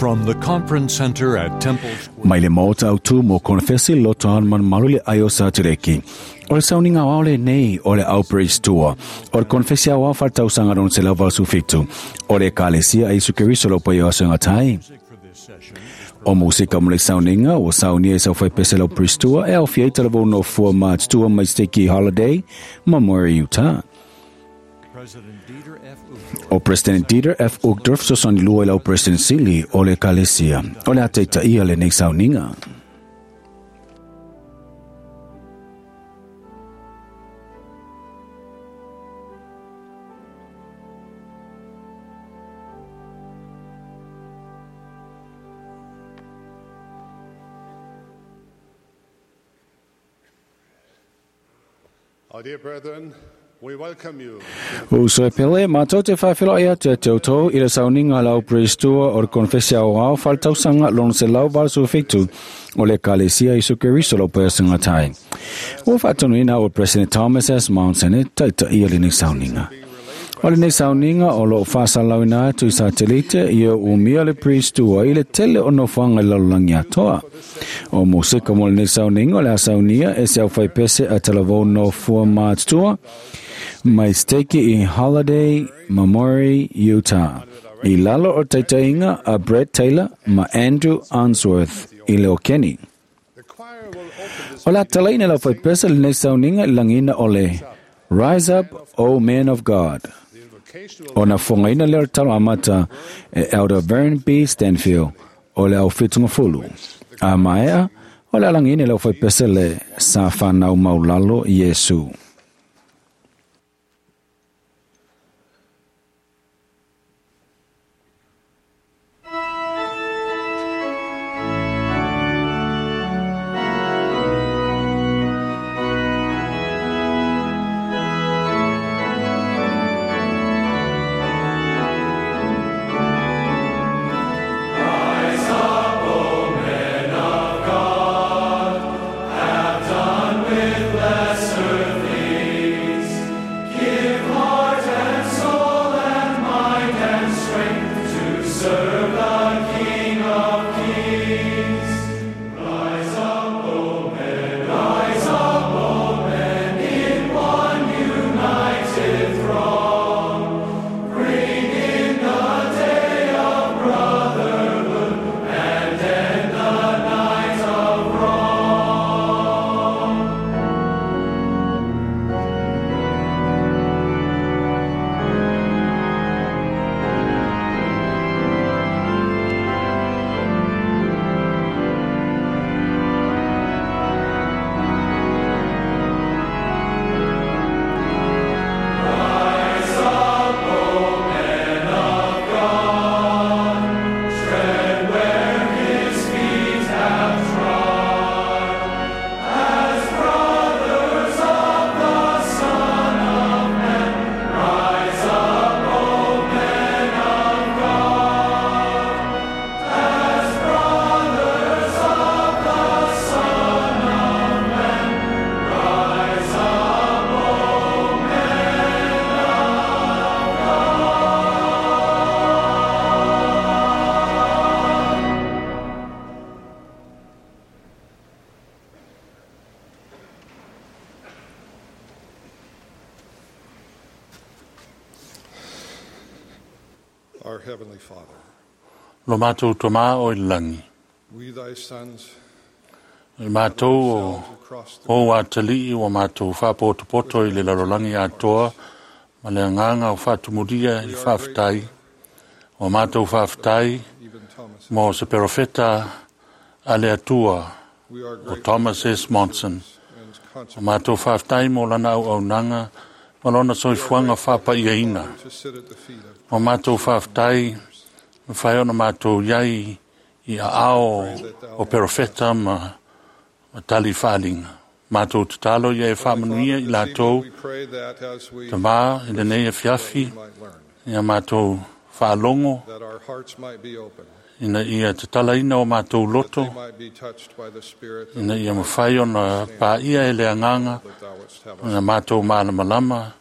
From the Conference Center at Temple Square. Mai le maota autū mo Konefesi loto malumalu le ai o Satereki. O le sauniga aoao lenei o le Outbreaks Tour o le Konefesi aoao faaletausaga lona 187 o le Ekalesia a Iesu Keriso o le Paia o Aso e Gata ai. O musika mo le sauniga ua saunia e sau faipese le Outbreaks Tour e aofia ai talavou nofua matutua mai Steki Holiday ma Murray, Utah. O President Dieter F. Uchtdorf fesoasoani lua i lau President Sili o le Ekalesia o le a taitaia lenei sauniga. Uso e pele, matou te faafeiloai atu ia te outou i le sauniga a le au Prestua o le Konefesi Aoao Faaletausaga lona 187 o le Ekalesia Iesu Keriso o Lau Sagatai. Ua faatonuina au e President Thomas S. Monson e taitaia lenei sauniga. O lenei sauniga o loo faasalalauina atu i satelite ia umia le Prestua i le tele o nofoaga i le lalolagi atoa. O musika mo lenei sauniga o le a saunia e se aufaipese a talavou nofua matutua mai Steki i Holiday Mamori, Utah. I lalo o taitaiga a Brett Taylor ma Andrew Unsworth i le Okeni. O le a talaina e le aufaipese lenei sauniga i le lagiina o le Rise Up, O Men of God. Ona fogaina lea o le talo amata e Elder Vern B. Stanfield o le au fitugafulu. A maea, o le alagiina e le aufaipese le Sa Whanau Maulalo Iesu. Our Heavenly Father, Lo matou Tama o i le lagi, we thy sons i matou o ou atalii ua matou faapotopoto i le lalolagi atoa ma le agaga o faatumulia i le faafetai. Ua matou faafetai even Thomas, mo se perofeta a le Atua we are o grateful Thomas S. Monson. and Ua consecrated matou faafetai mo lana auaunaga ma lona soifuaga faapaiaina. to sit at the feet of Ua matou faafetai mafai ona matou iai i aao o perofeta ma tali faaaliga. Matou tatalo ia e faamanuia i This evening latou we pray that as we tamā i lenei afiafi we might learn, ia matou faalogo that our hearts might be open, ina ia tatalaina o matou loto they might be touched by the Spirit ina ia mafai ona paia e le agaga that thou wouldst have us. na matou malamalama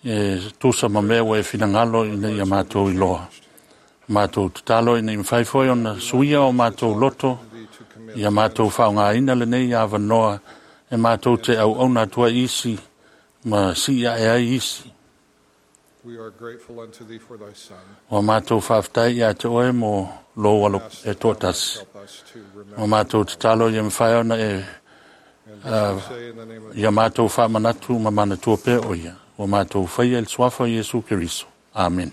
e tusa ma mea ua e finagalo ina ia matou iloa. Matou tatalo ina ia mafai foi ona suia o matou loto ia matou faaaogaina lenei avanoa e matou te auauna atu ai isi ma sii ae ai isi. We are grateful unto thee for thy Son. Ua matou faafetai ia te oe mo lou alo Ask e that thou mayest toatasi. help us to remember. Ua matou tatalo ia mafai ona e And this we say in the name of ia matou faamanatu ma manatua pea o ia. Ua matou faia i le suafa o Iesu Keriso. Amene.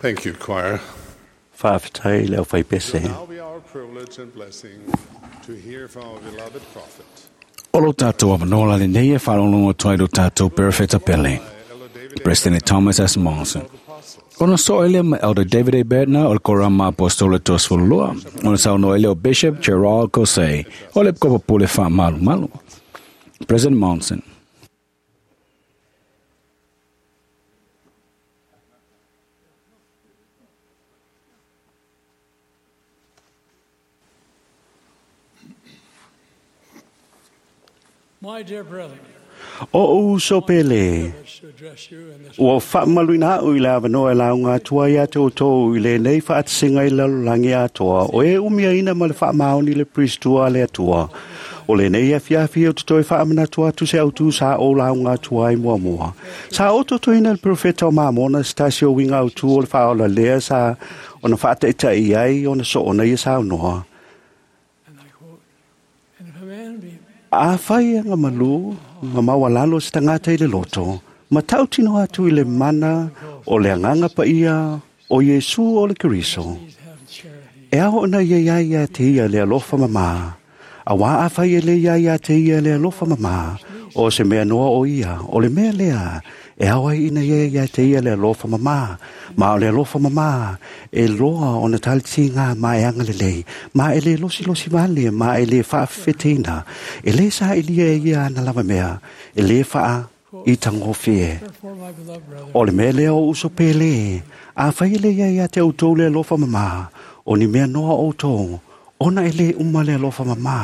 Thank you, choir. Faafetai le It aufaipese. will now be our privilege and blessing to hear from our beloved prophet, O lo tātou avanoa lenei e whalongo toi lo tātou Perfecta Pele. Elder David A. President Thomas S. Monson. Apostles. Ona so ele ma Elder David A. Bednar o le korama apostole tosfolua. Ona saunoa ele o Bishop Gerald Caussé. O le kopa pule wha malu malu. President Monson. My dear brethren, O uso pele, ua faamaluina a'u i le avanoa e lauga atu ai ia te outou i lenei faatasiga i le lalolagi atoa o e umiaina ma le faamaoni le Peristua a le Atua. O lenei afiafi ou te toe faamanatu atu se autū sa ou lauga atu ai muamua. Sa ou totoina le perofeta o Mamona se tasi o uiga autū o le faaola lea sa ona faataʻitaʻi ai ona soona ia saunoa. Afai e agamalu ma maualalo se tagata i le loto, ma tautino atu i le mana o le agaga paia o Iesu o le Keriso. E ao ona ia iai ia te ia le alofa mamā, auā afai e lē iai ia te ia le alofa mamā, o se mea noa o ia, o le mea lea, e ao ai ina ia ia te ia le alofa mamā, ma o le alofa mamā, e loa ona talitigā ma e agalelei, ma e lē losilosi vale, ma e lē faafefeteina, e lē saʻilia e ia ana lava mea, e lē faa i tagofie. O le mea lea o uso pele, afai e lē ia ia te outou le alofa mamā, o ni mea noa outou, ona e lē uma le alofa mamā.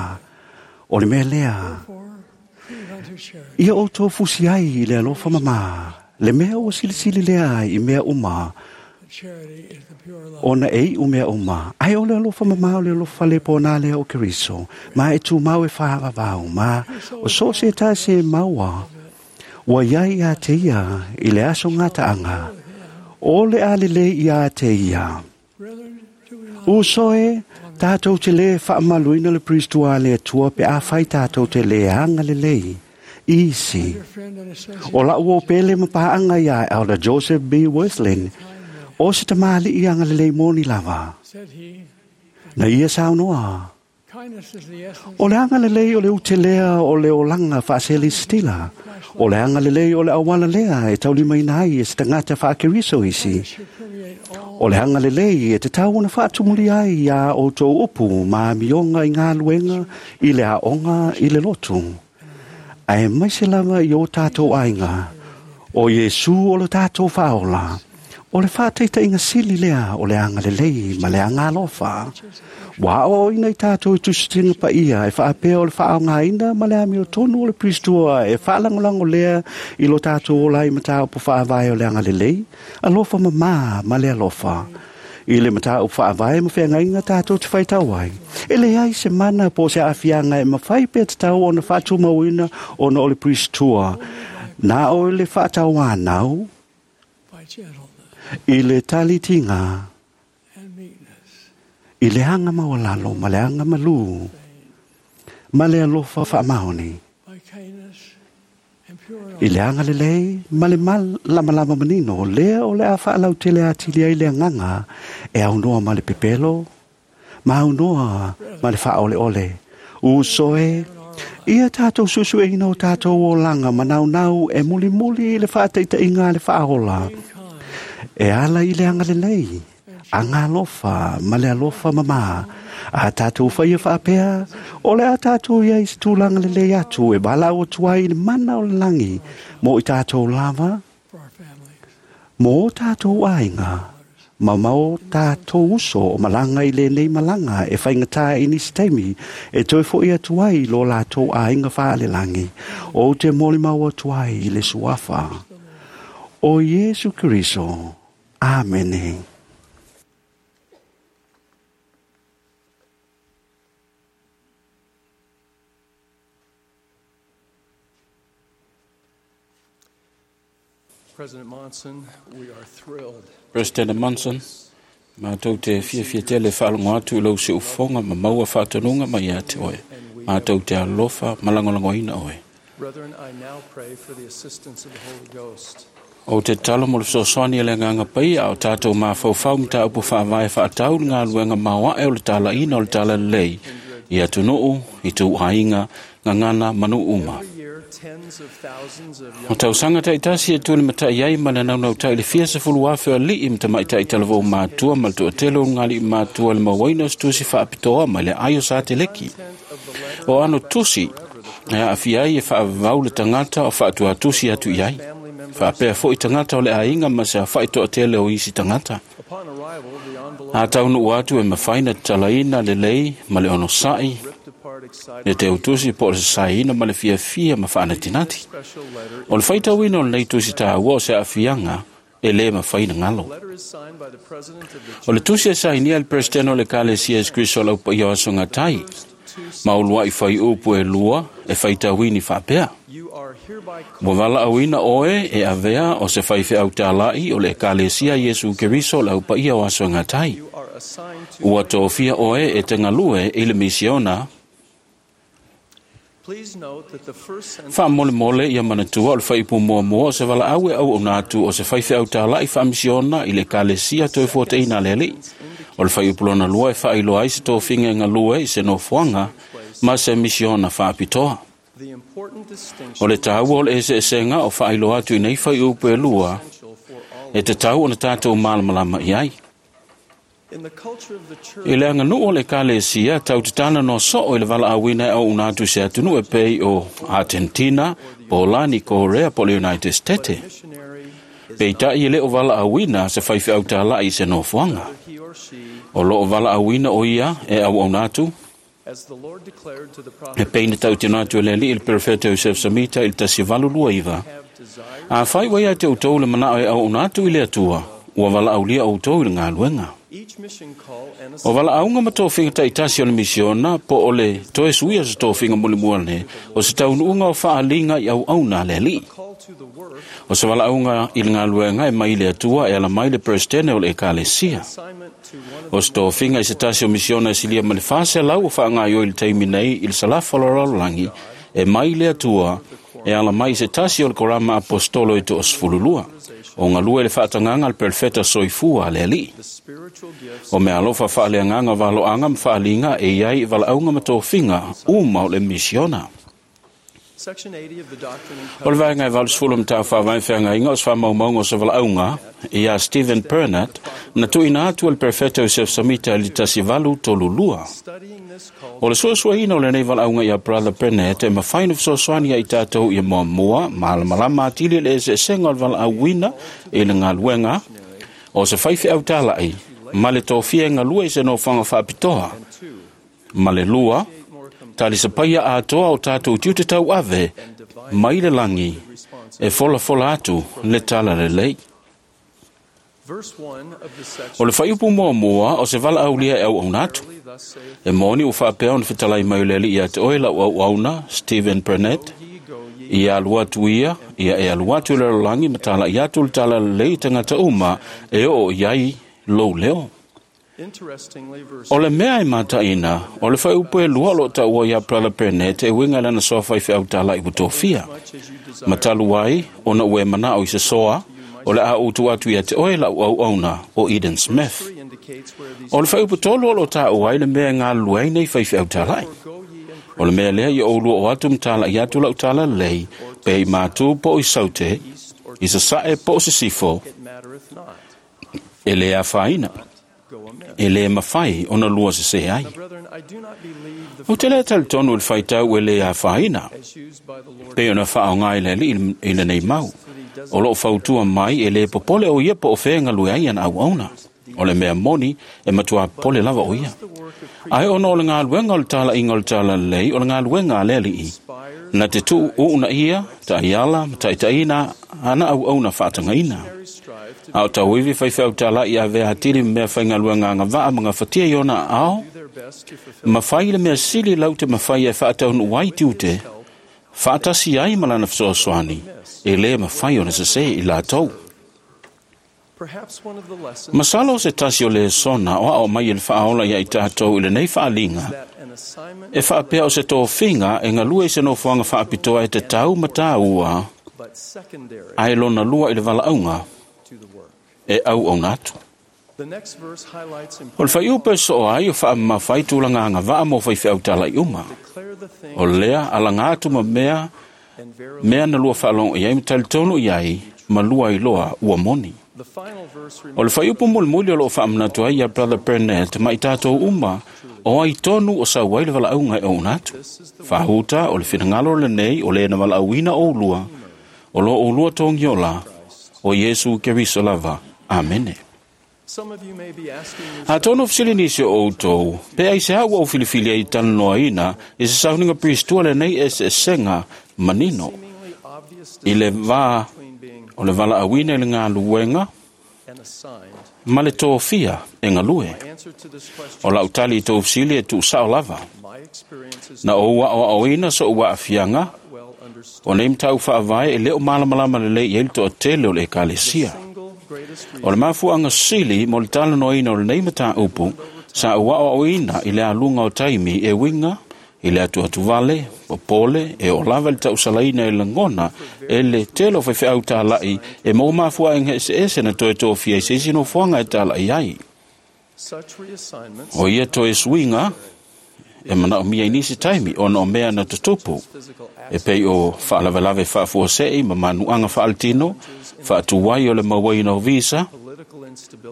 O le mea lea, ia outou fusi ai i le alofa mamā, le mea ua silisili lea i mea uma, ona e iʻu mea uma. Ae o le alofa mamā o le alofa le pona lea o Keriso, ma e tumau e faavavau, ma o so o se tasi e maua, ua iai ia te ia i le aso gataaga, o le a lelei ia te ia. Uso e, tātou te lē faamaluina le Peristua a le Atua pe afai tātou te lē agalelei. Isi. O la'u o pele ma paʻaga iā Elder Joseph B. Wirthlin, o se tamaliʻi agalelei moni lava. Na ia saunoa, o le agalelei o le utelea o le olaga faaselesitila, o le agalelei o le auala lea e taulimaina ai e se tagata faakeriso isi. O le agalelei e tatau ona faatumulia ai iā outou upu ma amioga i galuega i le aoga i le lotu. Ae maise lava i o tātou aiga, o Iesu o le tātou faaola, o le faataitaiga sili lea o le agalelei ma le agalofa. Ua aoaoina i tātou i tusitiga paia e faapea o le faaaogaina ma le amiotonu o le Peristua e faalagolago lea i lo tātou ola ai mataupu faavae o le agalelei, alofa mamā ma le alofa. I le mataupu faavae ma feagaiga tātou te faitau ai. E leai se mana po o se aafiaga e mafai pea tatau ona faatumauina ona o le Peristua. Na o le faatauanau i le talitiga, i le aga maualalo ma le aga malū, ma le alofa faamaoni, i le agalelei ma le malamalama manino, lea o le a faalautele atili ai le agaga e aunoa ma le pepelo, ma aunoa ma le faaoleole. Uso e, ia tātou suesueina o tātou olaga manaunau e mulimuli i le faataitaiga a le faaola, e ala i le agalelei, agalofa ma le alofa mamā. A tātou faia faapea, o le a tātou iai se tulaga lelei atu e valaau atu ai i le mana o le lagi mo i tātou lava, mo o tātou aiga, ma ma o tātou uso o malaga i lenei malaga e faigata i nisi taimi e toe foʻi atu ai i lo latou aiga faalelagi. Ou te molimau atu ai i le suafa o Iesu Keriso. Amene. President Monson, we are thrilled. President Monson, mātou te fiafia tele faalogo atu i lou siufofoga ma maua faatonuga mai ia te oe. Mātou te alofa ma lagolagoina oe. Brethren, I now pray for the assistance of the Holy Ghost. Ou te tatalo mo le fesoasoani a le Agaga Paia a o tātou mafaufau mataupu faavae faatau i le galuega maoaʻe o le talaina o le talalelei i atunuu, i ituaiga, gagana ma nuu uma. Every year, tens of thousands of O young tausaga taʻitasi e tuli mataʻi ai ma le naunautai le fia sefulu afe o aliʻi ma tamaʻitaʻi talavou matua ma le toʻatele o luga aliʻi matua le mauaina o se tusi faapitoa mai le ai o sateleki. O ano tusi e aafia ai e faavavau le tagata o faatuatusi atu i ai. family members. Faapea foʻi tagata o le aiga ma se afaʻi toʻatele o isi tagata. Upon arrival, the envelope A taunuu atu e mafai na tatalaina lelei ma le onosaʻi ripped apart Le teutusi po o le sasaeina ma le fiafia ma faanatinati. O le faitauina o lenei tusi taua o se aafiaga e lē mafai ona galo. O le tusi e sainia e le Peresetene o le Ekalesia Iesu Keriso o le Aupaia o Aso e Gata ai, ma ulua'i faiupu e lua e faitauini faapea: Ua valaauina oe e avea o se faifeau tāla'i o le Ekalesia Iesu Keriso o le Aupaia o Aso e Gata ai. Ua tofia oe e te galue i le misiona. Faamolemole ia manatua o le faaiupu muamua o se valaau e auauna atu o se faifeau tāla'i faamisiona i le Ekalesia Toefuataiga a le Alii. O le faaiupu lona lua e faailoa ai se tofiga e galue i se nofoaga ma se misiona faapitoa. O le taua o le eseesega o faailoa atu i nei faaiupu e lua e tatau ona tatou malamalama i ai. I le aganuu o le Ekalesia, tau te talanoa soo i le valaauina e auauna atu i se atunuu e pei o Atenetina, Polani, Korea po o le United States. Peitai e le o valaauina se faifeau tāla'i i se nofoaga. O loo valaauina o ia e auauna atu, e pei na tautino atu e le Alii i le Perofeta Iosef Samita i le 1829. Afai ua ia te outou le manao e auauna atu i le Atua, ua valaaulia outou i le galuega. O valaauga ma tofiga taitasi o le misiona po o le toe suia o se tofiga mulimua o se taunuuga o faaliga i auauna a le Alii. O se valaauga i le galuega e mai le Atua e ala mai le Peresetene o le Ekalesia. O se tofiga i se tasi o misiona e silia ma le 400 o faagaioi i le taimi nei i le salafa o le lalolagi e mai le Atua e ala mai i se tasi o le korama apostolo e 12. O galue le faatagaga a le perofeta soifua a le Alii. O mea alofa faaleagaga valoaga ma faaliga e iai i valaauga ma tofiga uma o le misiona. O le vaega e 80 matau faavae feagaiga o se faamaumauga o se valaauga ia Stephen Burnett na tuuina atu e le Perofeta Iosef Samita i le 1832. O le suesueina o lenei valaauga ia Brother Burnett e mafai ona fesoasoani ia i tatou ia muamua malamalama atili le eseesega o le valaauina i le galuega o se faifeau tāla'i ma le tofia e galue i se nofoaga faapitoa, ma le lua, talisapaia atoa o tatou tiute tauave mai le lagi e folafola atu le tala lelei. O le faiupu muamua o se valaaulia e auauna atu. E moni ua faapea ona fetalai mai o le Alii ia te oe lau auauna, Stephen Burnett, ia alu atu ia, ia e alu atu i le lalolagi ma tala'i atu le tala lelei i tagata uma e oo i ai lou leo. O le mea e mataina, o le faiupu e lua o loo taua ia Brother Burnett e uiga i lana soa faifeau tāla'i ua tofia. Ma talu ai, ona ua e manao i se soa, o le a ou tuu atu ia te oe lau auauna o Eden Smith. O le faiupu tolu o loo taua ai le mea e galulue ai nei faifeau tāla'i. O le mea lea ia ou lua o atu ma tala'i atu lau tala lelei, pe i mātū po o i saute, i sasae po o sisifo, e le afaina, e le mafai ona lua sesē ai. Ou te le talitonu i le faitau e le afaina, pei ona faaaoga i le Alii i lenei mau. O loo fautua mai e le popole o ia po o fea e galue ai ana auauna. O le mea moni e matua popole lava o ia. Ae ona o le galuega o le tala'iga o le tala lelei o le galuega a le Alii, na te tuu uunaia, ta'iala ma ta'itaʻina ana auauna faatagaina. A o tauivi faifeau tāla'i avea atili ma mea faigaluega agavaa ma gafatia i ona aao, ma fai le mea sili lau te mafai e faataunuu ai tiute, faatasi ai ma lana fesoasoani, e lē mafai ona sesē i latou. Masalo o se tasi o lesona o aao mai e le faaola ia i tatou i lenei faaliga, e faapea o se tofiga e galue i se nofoaga faapitoa e tatau ma tāua, ae lona lua i le valaauga e auauna atu. O le faiupu e soo ai o faamamafa ai tulaga agavaa mo faifeau tāla'i uma. O lea alaga atu ma mea mea na lua faalogo i ai ma talitonu i ai ma lua iloa ua moni. O le faiupu mulimuli o loo faamanatu ai ia Brother Burnett ma i tatou uma o ai tonu o sau ai le valaauga e auauna atu. Faahuta o le finagalo lenei o le na valaauina oulua, o lo oulua togiola o Iesu Keriso lava. Amene. Atonu fesili nisi o outou, pe aisea ua ou filifili ai talanoaina i se sauniga Priestua lenei eseesega manino i le va o le valaauina i le galuega ma le tofia e galue. O lau tali i tou fesili e tuusao lava. Na ou aoaoina so'u aafiaga o nei mataupu faavae e le o malamalama lelei i ai le toatele o le ekalesia. O le mafuaaga sili mo le talanoaina o lenei mataupu sa ou aoaoina i le aluga o taimi e uiga i le atuatuvale, popole, e oo lava i le tausalaina e lagona e le tele o faifeau tala'i e maua mafuaaga eseese na toe tofia i se isi nofoaga e tala'i ai. O ia toe suiga e manaomia i nisi taimi ona o mea na tutupu e pei o faalavelave faafuasei ma manuaga faaletino, faatuai o le mauaina o visa,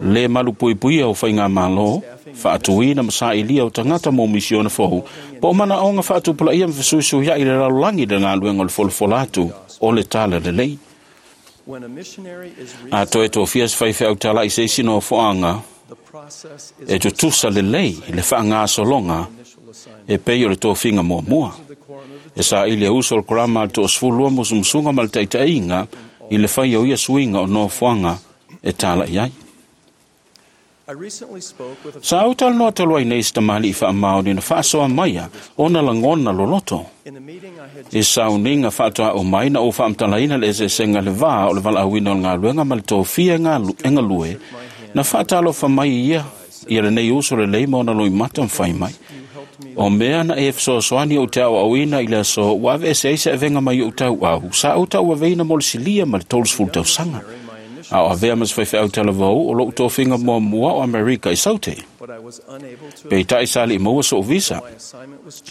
le malupuipuia o faigamalo, faatuina ma sailia o tagata mo misiona fou, po o manaoga faatupulaia ma fesuisuiai i le lalolagi i le galuega o le folafola atu o le talalelei. A toe tofia se faifeau tala'i se isi nofoaga e tutusa lelei le faagasologa e pei o le tofiga muamua. E saili e uso o le korama a le 12 musumusuga ma le taitaiga i le fai o ia suiga o nofoaga e tala'i ai. Sa ou talanoa talu ai nei se tamalii faamaoni na faasoa maia ona lagona loloto. I sauniga faatoa mai na ou faamatalaina le eseesega le va o le valaauina o le galuega ma le tofia e galue, na faatalofa mai ia ia lenei uso lelei ma ona loimata ma fai mai. O mea na e fesoasoani ou te aoaoina i le aso ua aveese ai se avega mai ou tauau, sa ou tauaveina mo le silia ma le 30 tausaga. A o avea ma se faifeau talavou o lou tofiga muamua o Amerika i Saute. Peitai sa alii maua so'u visa,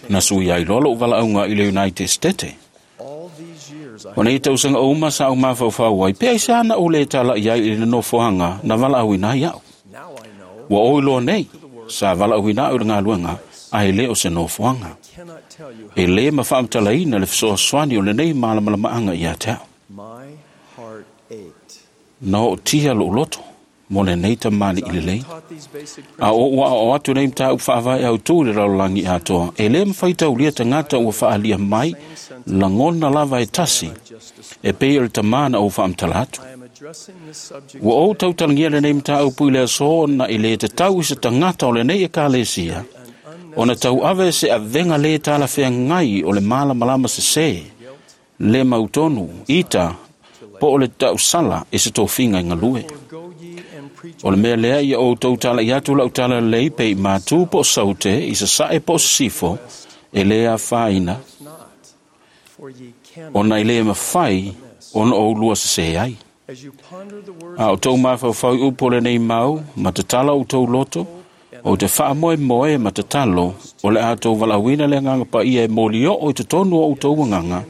na sui ai loa lou valaauga i le United States. O nei tausaga uma sa ou mafaufau ai, pe aisea na ou le tala'i ai i le nofoaga na valaauina ai a'u. Ua oi loa nei, sa valaauina a'u i le galuega, ae le o se nofoaga. E lē ma faamatalaina le fesoasoani o lenei malamalamaaga ia te a'u. Na ootia lo'u loto mo lenei tamalii lelei. A o ou aoao atu nei mataupu faavae autū i le lalolagi atoa, e lē mafai taulia tagata ua faaalia mai lagona lava e tasi e pei o le tamā na ou faamatala atu. Ua ou tautalagia lenei mataupu i le aso ona e lē tatau i se tagata o lenei ekalesia ona tauave se avega lē talafeagai o le malamalama sesē, le mautonu, ita, po o le tausala i se tofiga i galue. O le mea lea ia outou tala'i atu lau talalelei pe i matū po o saute, i sasae po o sisifo, e lē afaina, ona e lē mafai ona oulua sesē ai. A o tou mafaufau i upu o lenei mau, ma tatala outou loto, o te faamoemoe ma tatalo o le a tou valaauina le agaga paia e molioo i totonu o outou agaga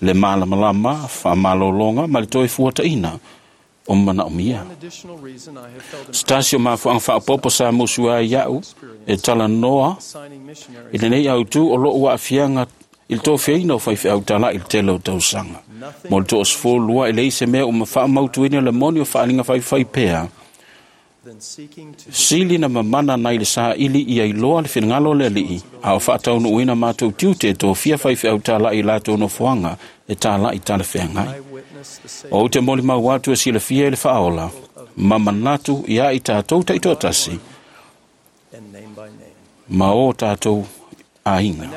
le malamalama, faamalologa ma le toe fuataina o manaomia. Se tasi o mafuaaga faaopoopo sa musu ai ia'u e talanoa i lenei autū o lo'u aafiaga i le tofiaina o faifeau tala'i i le tele o tausaga. Mo le 22 e leai se mea ua faamautuina le moni o faaaliga faifai pea, sili na mamana nai le saili ia iloa le finagalo o le alii, a o faataunuuina matou tiute e tofia faifeau tala'i i latou nofoaga e tala'i talafeagai. O ou te molimau atu e silafia i le faaola, ma manatu ia i tatou taitoatasi, ma o tatou aiga.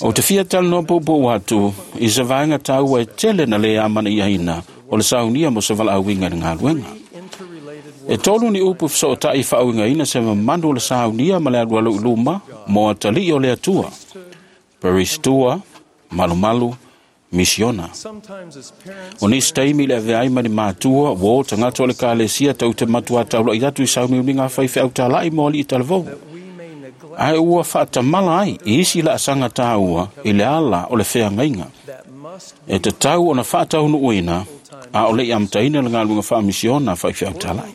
O te fia talanoa puupuu atu i se vaega taua e tele na lē amanaiaina o le saunia mo se valaauina i le galuega. E tolu ni upu fesootai faauigaina se mamanu o le saunia ma le alualu i luma mo atalii o le Atua, Peristua, malumalu, misiona. O nisi taimi i le aveai ma ni matua, ua o tagata o le ekalesia tou te matuā taula'i atu i sauniuniga faifeau tala'i mo alii talavou. Ae ua faatamala ai i isi laasaga taua i le ala o le feagaiga. E tatau ona faataunuuina a o le'i amataina le galuega faamisiona faifeau tala'i.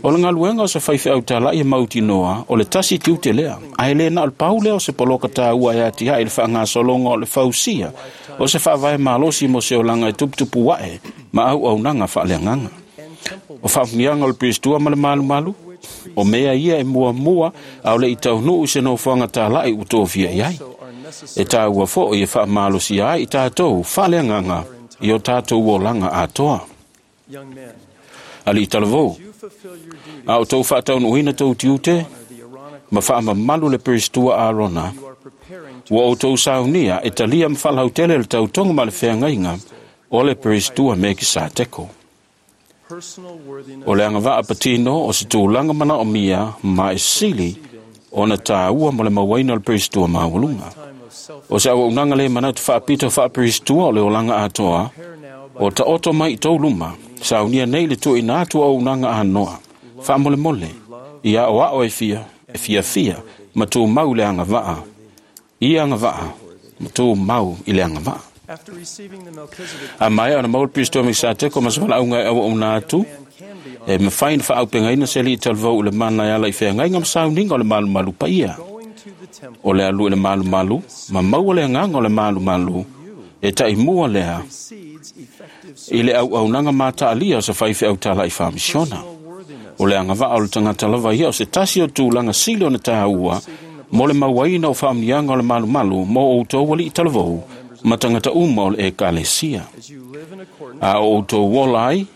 O le galuega o se faifeau tala'i e mautinoa o le tasi tiute lea, ae lē na o le pau lea o se poloka taua e atiae i le faagasologa o le fausia o se faavae malosi mo se olaga e tuputupu a'e ma auaunaga faaleagaga. O faamanuiaga o le peristua ma le malumalu, o mea ia e muamua a o le i taunuu i se nofoaga tala'i ua tofia i ai. E tāua fo'i e faamalosia ai i tatou faaleagaga i o tatou olaga atoa. Alii talavou, a o tou faataunuuina tou tiute ma faamamalu le peristua Arona, ua outou saunia e talia ma faalautele le tautoga ma le feagaiga o le peristua Mekisateko. O le agavaa patino o se tulaga manaomia ma e sili ona tāua mo le mauaina o le peristua maualuga. O se auaunaga le manatu faapito faaperistua o le olaga atoa, o taoto mai i tou luma, saunia nei le tuuina atu o auaunaga anoa, faamolemole, ia aoao e fiafia, ma tumau i le agavaa, ia agavaa, ma tumau i le agavaa. A maea ona maua le peristua Mekisateko ma se valaauga e auauna atu, e mafai ona faaaupegaina se alii talavou i le mana e ala i feagaiga ma sauniga o le malumalu paia. O le alu i le malumalu, ma maua le agaga o le malumalu, e taimua lea i le auaunaga mataalia o se faifeau tala'i faamisiona. O le agavaa o le tagata lava ia o se tasi o tulaga sili ona tāua mo le mauaina o faamanuiaga o le malumalu mo outou alii talavou ma tagata uma o le ekalesia. A o outou ola ai,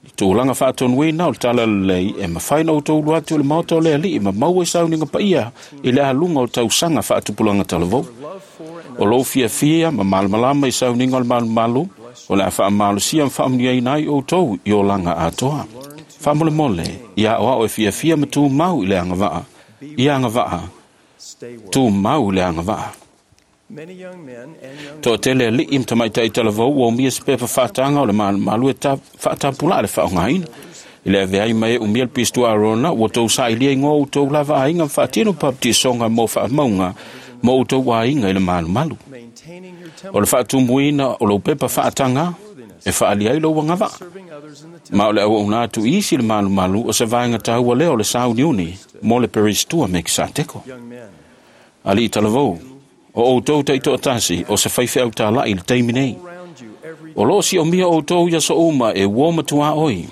i tulaga faatonuina o le talalelei e mafai ona outou ulu atu i le maota o le alii ma maua i sauniga paia i le aluga o tausaga faatupulaga talavou. O lou fiafia ma malamalama i sauniga o le malumalu, o le a faamalosia ma faamanuiaina ai outou i olaga atoa. Faamolemole, ia aoao e fiafia ma tumau i le agavaa, ia agavaa, tumau i le agavaa. Toatele alii ma tamaitai talavou ua umia se pepa faataga o le malumalu e faatapulaa le faaaogaina. I le avea ai mai e umia le peristua Arona, ua tou sailiga igoa o outou lava aiga ma faatino papatisoga mo faamauga mo outou aiga i le malumalu. O le faatumuina o lou pepa faataga e faaalia ai lou agavaa. Ma o le auauna atu i isi le malumalu o se vaega taua lea o le sauniuni mo le peristua Mekisateko. Alii talavou, o outou taitoatasi o se faifeau tala'i i le taimi nei. O loo siomia outou ia so uma e uo matua oi.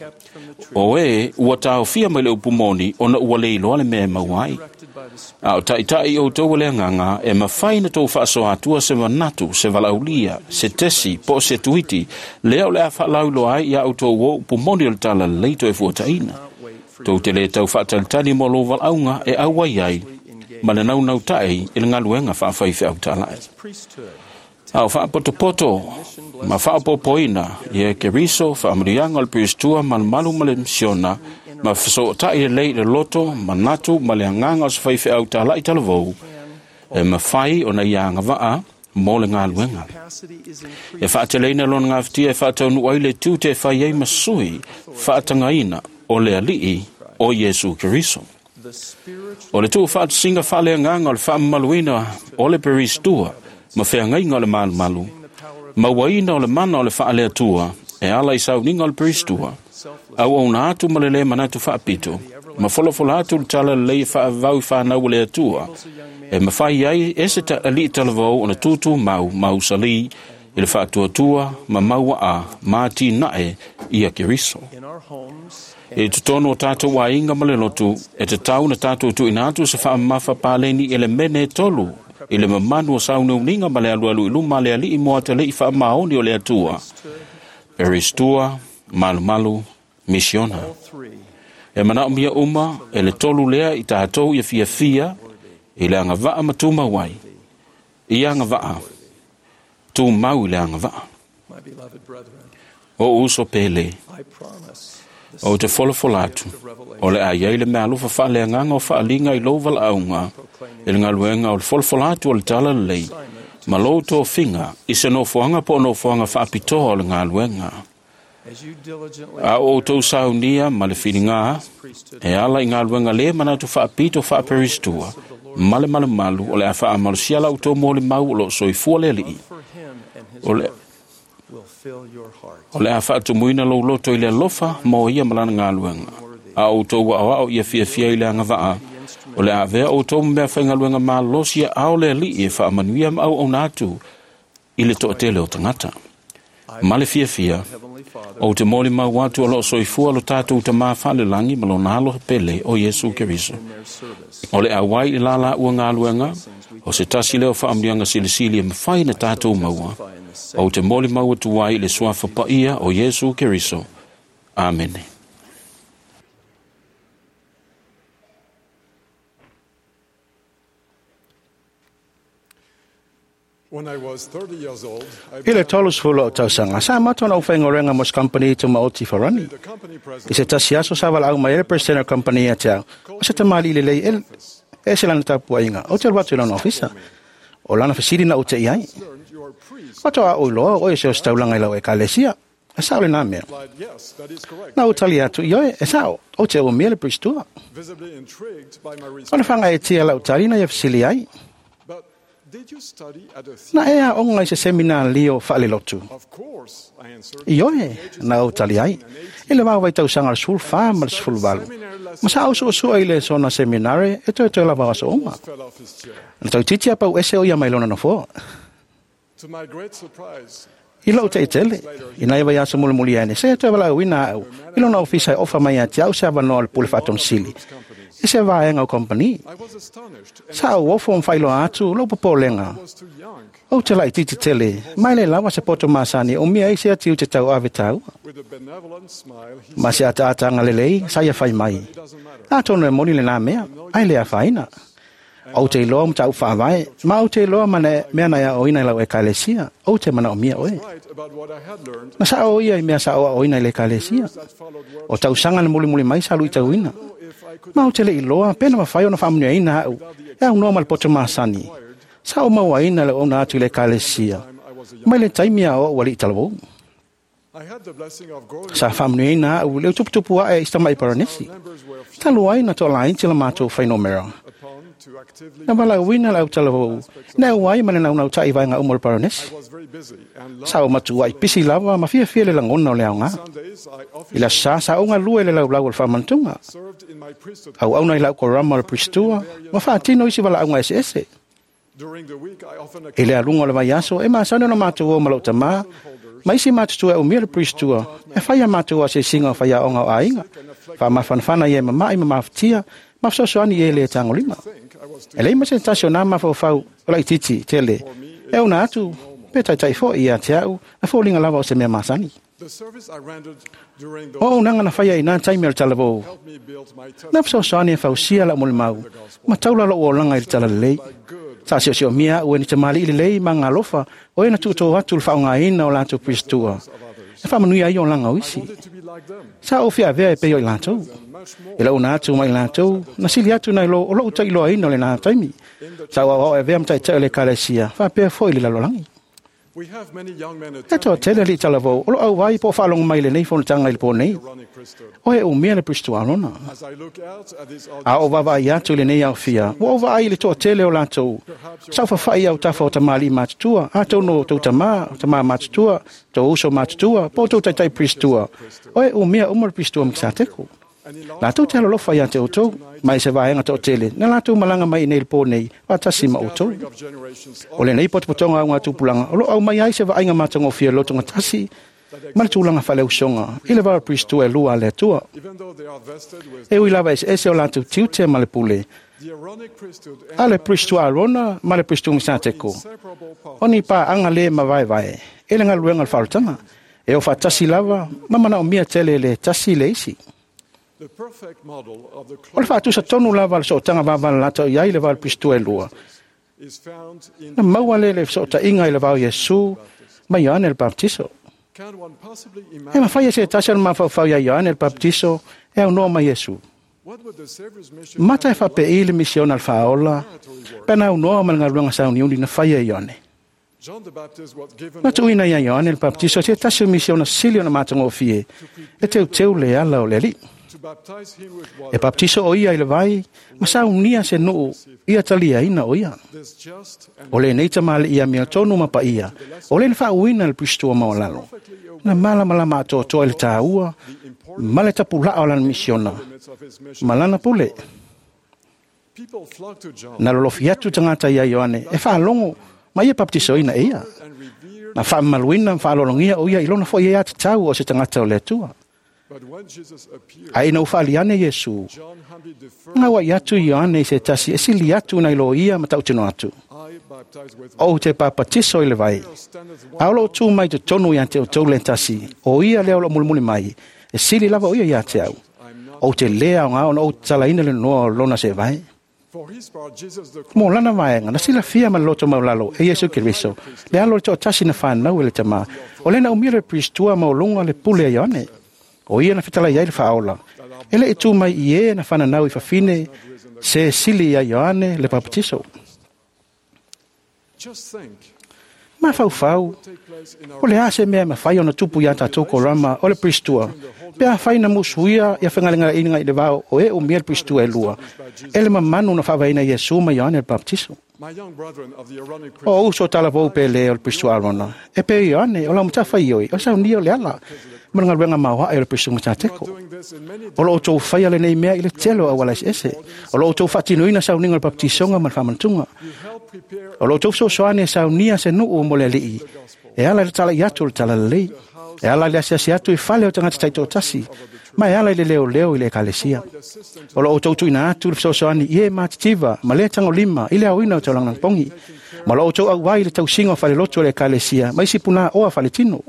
O e ua taofia mai le upu moni ona ua leiloa le mea e maua ai. A o taitai outou o le agaga e mafai na tou faasoa atua se manatu, se valaaulia, se tesi, po o se tuiti, lea o le a faalauiloa ai ia outou o upu moni o le talalelei toe fuataina. Tou te le tau faatalitali mo lou valaauga e auai ai ma le naunautai i le galuega faafaifeau tala'i. A o faapotopoto ma faaopopoina ia Keriso faamanuiaga o le peristua malumalu ma le misiona ma fesootai lelei i le loto, manatu ma le agaga o se faifeau tala'i talavou, e mafai ona ia agavaa mo le galuega. E faateleina lona gafatia e faataunuu ai le tiute e fai ai ma sui faatagaina o le alii o Iesu Keriso. O le tuufaatasiga faaleagaga o le faamamaluina o le peristua ma feagaiga o le malumalu, mauaina o le mana o le faaleatua e ala i sauniga o le peristua, auauna atu ma le lē manatu faapito, ma folafola atu le talalelei e faavavau i fanau o le Atua, e mafai ai e se alii talavou ona tutumau ma usalī i le faatuatua ma mauaa ma atinae ia Keriso. I totonu o tatou aiga ma le lotu, e tatau na tatou tuuina atu se faamamafa paleni i le mene e tolu i le mamanu o sauniuniga ma le alualu i luma a le alii mo atalii faamaoni o le Atua, peristua, malumalu, misiona. E manaomia uma e le tolu lea i tatou ia fiafia i le agavaa ma tumau ai. Ia agavaa, tumau i le agavaa. O uso pele, o te folafola atu, o le a iai le meaalofa faaleagaga o faaliga i lou valaauga i le galuega o le folafola atu o le talalelei ma lou tofiga i se nofoaga po o nofoaga faapitoa o le galuega. A o outou saunia ma le filigā e ala i galuega lē manatu faapito faaperistua ma le malumalu o le a faamalosia la outou molimau o loo soifua le alii. O le a faatumuina lou loto i le alofa mo ia ma lana galuega. A outou aoao ia fiafia i le agavaa, o le a avea outou ma mea faigaluega malosi ao le alii e faamanuia ma auauna atu i le toatele o tagata. Ma le fiafia, ou te molimau atu o loo soifua lo tatou Tamā faalelagi ma lona alo pele o Iesu Keriso. O le auai i la laua galuega, o se tasi lea o faamanuiaga silisili e mafai ona tatou maua. Ou te molimau atu ai i le suafa paia o Iesu Keriso. Amene. When I was 30 years old, I I le 30 o tausaga, sa amata ona ou faigaluega mo se kampani tumaoti Farani. the company I president se tasi aso sa valaau mai ai le president o le kampani ia te au, o se tamalii lelei e ese lana tapuaiga, ou te alu atu i lona ofisa. O lana fesili na ou te i ai. learned you are a priest. Faatoa ou iloa o oe se o se taulaga i lau ekalesia. E sao lenā mea. Replied, yes, that is correct. Na ou tali atu, ioe, e sao, ou te umia le pristua. Visibly intrigued by my O le response. fagaetia lau tali na ia fesili ai. But did you study at a Na theater? e aoga i se seminario faalelotu. Of course, I answered. Ioe, na ou tali ai. I le vao vaitausaga o le 14 ma le 18. Ma sa au suasua i le sona seminare e toe toe lava o aso uma. Fell off his chair. Na tautiti a pau ese o ia mai lona nofoa. To my great surprise, I lou teitele, i nai vaiaso mulimuli ane, se e toe valaauina au, i lona ofisa e ofa mai ia te au se avanoa o le pule faatonosili. I se vaega o kompani. I was astonished and Sa au ofo ma faailoa atu lou popolega. was too young. Ou te laitiiti tele, mai le lava se poto masani o mia ai se atiu te tau ave tāua. With a benevolent smile, he Ma se ataataga lelei, sa ia fai mai. said, it doesn't matter. Atonu e moni lenā mea, ai le afaina. Ou te iloa mataupu faavae, ma ou te iloa ma le mea na aoaoina i lau ekalesia, ou te manaomia oe. Right about what I had learned Na sao ia i mea sa aoaoina i le ekalesia. that followed were O tausaga na mulimuli mai sa luitauina. if I could Ma ou te le iloa, pe na mafai ona faamanuiaina au, e aunoa ma le poto masani. Sa ou mauaina le auauna atu i le ekalesia. I was a young Mai le taimi a o au alii talavou. I had the blessing of growing Sa faamanuiaina au le tuputupu ae i si tama'i Paranesi. members were few Talu ai na toalaiti la matou fuainumera. upon to actively Na valaauina le au talavou, na au ai ma le naunautai vaega uma o le Paranesi. I was very busy and loved Sa ou matuai pisi lava ma fiafia le lagona o le aoga. Sundays I I officially le aso sa sa ou galue i le laulau o le faamanatuga. served in my priesthood. Auauna i lau korama o le pristua, ma faatino isi valaauga eseese. During the week I often I le aluga o le vaiaso, e masani ona matou o ma lou tamā, ma isi matutua e umia le pristua, e fai a matou asiasiga o faiaoga o aiga, faamafanafana ia e mama'i ma mafatia, ma fesoasoani i e le tagolima. think I was too E lei ma se tasi o nā mafaufau o laitiiti tele, e ona atu, pe taitai fo'i ia te au, na foliga lava o se mea masani. The service I rendered during O those auaunaga na faia i nā taimi o le talavou, helped me build my na testimony fesoasoani e fausia lau molimau, ma taula lou olaga i le talalelei. good Sa siosiomia au e ni tamalii lelei ma galofa o e na tuutō atu le faaaogaina o latou pristua. E faamanuia ai olaga o isi. wanted to be like them Sa ou fiavea e pei o i latou. and much more E launa atu mai latou, na sili atu nai lo o lou ta'iloaina o lenā taimi. Sa ou aoao e avea ma ta'ita'i o le ekalesia, faapea fo'i le lalolagi. We have many young men E attending toatele alii talavou o loo auai po o faalogo mai lenei fonotaga i le pō nei. Aaronic priesthood. O e umia le pristua lona. As I look out at this A audience, o vaavaai atu i lenei aofia, ua ou vaai i le toatele o latou. Sa ou fafa'i au tafa o tamalii matutua, atonu o tou tamā, o tamā matutua, tou uso matutua, po o tou taitai pristua. O e umia uma le pristua Mikisateko. and in large Latou te alolofa iā te outou, mai se vaega toatele, na latou malaga mai i nei le pō nei, faatasi ma outou. gathering of generations O lenei potopotoga au tupulaga, o loo aumai ai se vaaiga matagofie lotogatasi, ma le tulaga faaleausoga, i le vao pristua e lua a le Atua. even though they are vested with E ui lava eseese o latou tiute ma le pule, the Aaronic priesthood and a le pristua Arona ma le pristua Misateko. inseparable part O ni paaga lē mavaevae, e le galuega o le faaolataga. E o faatasi lava, ma manaomia tele le tasi i le isi. the perfect model of the O le faatusa tonu lava o le sootaga vavalalata i ai le vao le pristua e lua. is found in Na maua le le fesootaiga i le vao Iesu ma Ioane le Baptiso. Can one possibly E imagine mafai e se tasi o le mafaufau iā Ioane le Baptiso e aunoa ma Iesu. what would the Savior's mission Mata e faapei le misiona le faaola, pe na aunoa ma le galuega sauniuni na faia e Ioane. John the Baptist was given Na tuuina iā Ioane le Baptiso se tasi o misiona sili ona matagofie, e teuteu le ala o le alii. to baptize him with E water baptiso o ia i le vai, ma saunia se nuu ia taliaina o ia. this just and O lenei tamalii ia mea tonu ma paia, o le faauina le pristua maualalo. Na malamalama atoatoa i le tāua, ma le tapulaa o lana misiona, limits of his mission ma lana pule. people flocked to John Na lolofi atu tagata ia Ioane, e faalogo ma ia baptisoina e ia. and revered Na faamamaluina ma faalologia o ia i lona fo'i ai atatau o se tagata o le Atua. Ae ina ua faali ane Iesu, gaua'i atu Ioane i se tasi e sili atu nai lo ia ma tautino atu, “Ou te papatiso i le vai, a o loo tu mai totonu ia te outou le tasi, o ia lea o loo mulimuli mai, e sili lava o ia ia te au. Ou te lē aogā ona ou tatalaina le noa o lona seevae.” Mo lana vaega, na silafia ma le loto maulalo e Iesu Keriso, le alo o le toatasi na fanau e le Tamā, o lea na umia le Pristua maualuga le pule a Ioane. O ia na fetalai ai le Faaola, e le i tu mai i e na fananau i fafine se sili ia Ioane le Papatiso. Mafaufau, o le a se mea e mafai ona tupu iā tatou korama o le Pristua, pe afai na musuia ia fegalegaleaiga i le va o e umia le Pristua e lua, e le mamanu na faavaeina Iesu ma Ioane le Papatiso. O uso talavou pele o le Pristua Arona, e pe Ioane o lau matafaioi o saunia o le ala ma le galuega maoae o le Pristua Matateko. O lo outou faia lenei mea i le tele o auala eseese. O lo outou faatinoina sauniga o le baptisoga ma le faamanatuga. O lo outou fesoasoani e saunia se nuu mo le Alii, e ala i le talai atu o le talalelei, e ala i le asiasi atu i fale o tagata taitoatasi, ma e ala i le leoleo i le ekalesia. O lo outou tuuina atu le fesoasoani i e matitiva ma le tagolima i le aoina o taulaga pogi, ma lo outou auai i le tausiga o falelotu o le ekalesia ma isi punaoa faletino.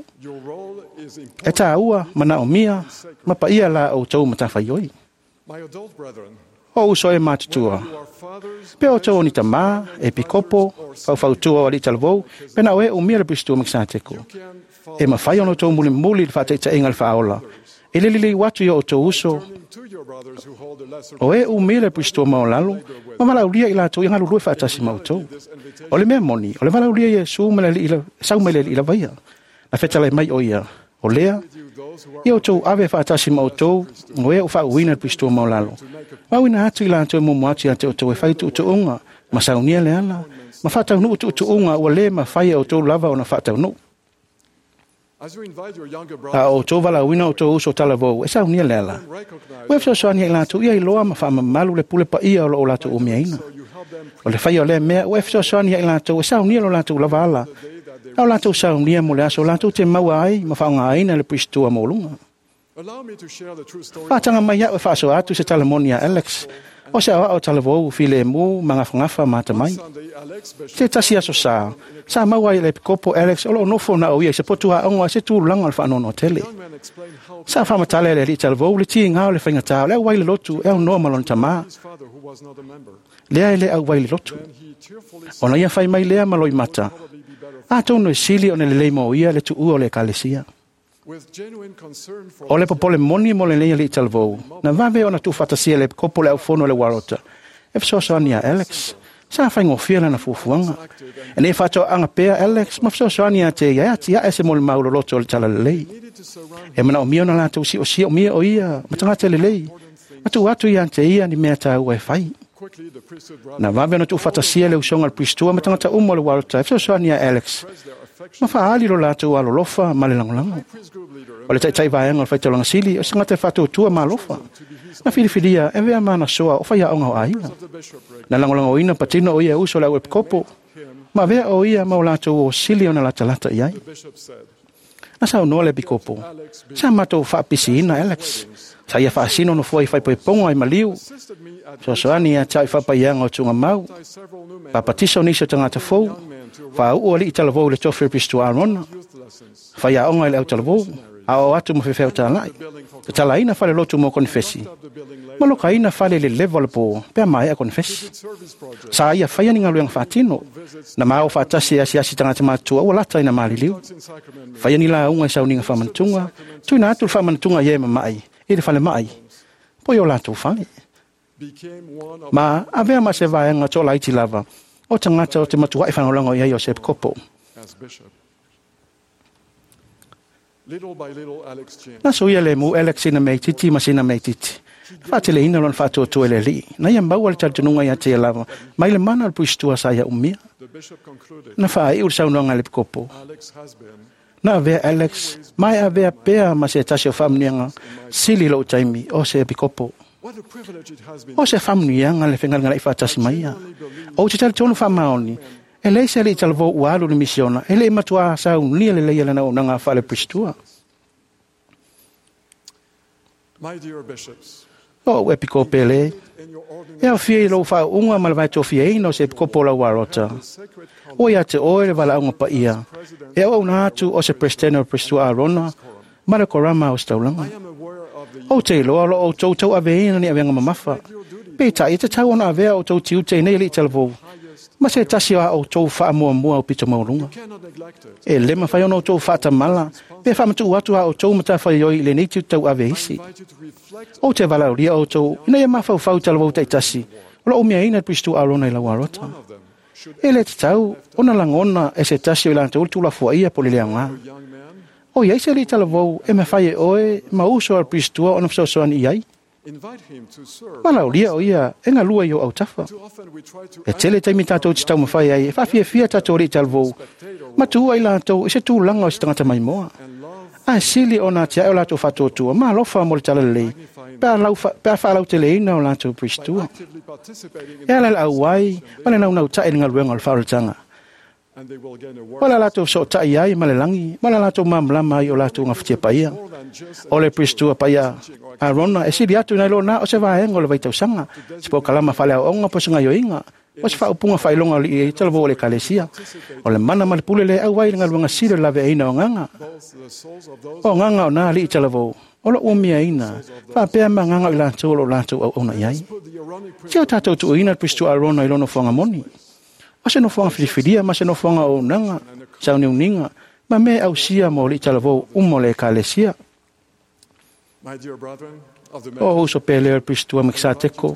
E tāua, manaomia, ma paia la outou matafaioi. O uso e matutua, pe outou o ni tamā, e pikopo, faufautua o alii talavou, pe na o e umia le Pristua Makesateko. E mafai ona outou mulimuli le faataitaiga le Faaola, e le lelei atu i o outou uso, o e umia le Pristua maolalo, ma valaaulia i latou ia galulue faatasi ma outou. O le mea moni, o le valaaulia Iesu ma le Alii sau mai le Alii lava ia. Na fetalai mai o ia, o lea, ia outou ave faatasi ma outou, o e o faauuina le Pristua maolalo. Mauina atu i latou e muamua atu ia te outou e fai tuutuuga, ma saunia le ala, ma faataunuu tuutuuga ua lē mafai e outou lava ona faataunuu. A o outou valaauina outou uso talavou e saunia le ala, ua e fesoasoani ai latou ia iloa ma faamamalu le pule paia o loo latou umiaina. O le faia o lea mea ua e fesoasoani ai latou e saunia lo latou lava ala, a o latou saunia mo le aso latou te maua ai ma faaaogāina le Pristua maualuga. Faataga mai au e faasoa atu se talamoni a Alex, o se aoao talavou filemu ma gafagafa ma atamai. Se tasi aso sa, sa maua ai le epikopo Alex o loo nofo na o ia i se potu aoga i se tulaga o le faanoanoa tele. Sa faamatala e le alii talavou le tiga o le faigatā o le auai le lotu e aunoa ma lona tamā, lea e le auai le lotu. Ona ia fai mai lea ma loimata, atonu e sili ona lelei mo ia le tuua o le ekalesia. O le popole moni mo lenei alii talavou, na vave ona tuufaatasia e le epikopo le aufono o le Uarota, e fesoasoani ia Alex. Sa faigofie lana fuafuaga. E nei faatoaga pea Alex ma fesoasoani ia te ia e atiae se molimau loloto o le talalelei. E manaomia ona latou siosiomia o ia ma tagata lelei, ma tuu atu ia te ia ni mea tāua e fai. Na vave ona tuufaatasia le usoga a le Pristua ma tagata uma o le Uarota e fesoasoani ia Alex, ma faaali lo latou alolofa ma le lagolago. O le taitai vaega o le faitaulaga sili o se tagata e faatuatua ma alofa. Na filifilia e avea ma ana soa o faiaoga o aiga. Na lagolagoina patino o ia e uso le au epikopo, ma avea o ia ma o latou o sili ona latalata i ai. Na saunoa le epikopo, sa matou faapisiina Alex, sa ia faasino nofoa i faaipoipoga i maliu, fesoasoani ia te au i faapaiaga o tuugamau, papatiso nisi o tagata fou, faauu alii talavou i le tofi o le Pristua Arona, faiaoga i le autalavou, aoao atu ma faifeau talai, tatalaina falelotu mo konefesi, ma lokaina fale i le leva o le pō pe a maea konefesi. Sa ia faia ni galuega faatino, na ma o faatasi e asiasi tagata matutua ua lata ina maliliu. Faia ni lauga i sauniga faamanatuga, tuuina atu le faamanatuga i e mama'i i le falema'i, po i o latou fale. Ma avea ma se vaega toalaiti lava o tagata o te matua'i faalagolago i ai o se epikopo. Na suia le mu Alex sina mea itiiti ma sina mea itiiti. Na faateleina lona faatuatua i le Alii, na ia maua le talitonuga ia te ia lava, mai le mana o le Puisitua sa ia umia. Na faaiu le saunoaga a le epikopo. Na avea Alex, ma e avea pea ma se tasi o faamanuiaga sili i lou taimi o se epikopo. O se faamanuiaga le fegalegaleai faatasi mai ia. Ou te talitonu faamaoni, E leai se alii talavou ua alu i le misiona e le i matuā saunia lelei lana auaunaga faale-Peristua. My dear bishops, O ou epikopo pele, in your e ordination, aofia i lou faauuga ma le vaetofiaina o se epikopo o lau alota. sacred Ua ia te oe le valaauga paia, e auauna atu o se Peresetene o le Peristua Arona ma le Korama o se taulaga. I am aware of the Ou te iloa o lo o outou tauaveina ni avega mamafa. Peitai e tatau ona avea o outou tiute i nei alii talavou, ma se tasi o a outou faamuamua aupito maualuga. cannot neglect it. E le mafai ona outou faatamala pe faamatuu atu a outou matafaioi i lenei tiute tauave isi. Invite you to reflect Ou te valaaulia outou ina ia mafaufau talavou taitasi o lo o umiaina le Peristua Arona i lau alota. of them. Should E le tatau ona lagona e se tasi o i latou le tuulafoaia po o le leaoga. a young man O iai se alii talavou e mafai e oe ma uso a le Peristua ona fesoasoani i ai. invite him to serve. Valaaulia o ia e galue i o autafa. Too often we try to E tele taimi tatou te taumafai ai e faafiafia tatou alii talavou ma tuua i latou i se tulaga o se tagata maimoa. and love Ae sili ona atiae o latou faatuatua ma alofa mo le talalelei pe a faalauteleina o latou Peristua. actively participating in E ala i le auai ma le naunautai i le galuega o le faaolataga. and they will gain a O le latou sootai ai ma le lagi ma le latou malamalama ai o latou gafatia paia. more than just O le Peristua paia Arona e sili atu nai lo na o se vaega o le vaitausaga, se polokalama faaleaoaoga po o se gaoioiga, o se faaupuga faailoga o alii talavou o le Ekalesia. O le mana ma le pule le auai i le galuega sili o le laveaiina o agaga. both the souls of those O agaga o nā alii talavou, o lo o umiaina, faapea ma agaga o i latou o lo o latou auauna i ai. put the Aaronic Se o tatou tuuina le Peristua Arona i lona nofoaga moni. O se nofoaga filifilia ma se nofoaga o auaunaga, sauniuniga, ma mea e ausia mo alii talavou uma o le Ekalesia. My dear brethren of the O uso pele o le Peristua Mekisateko,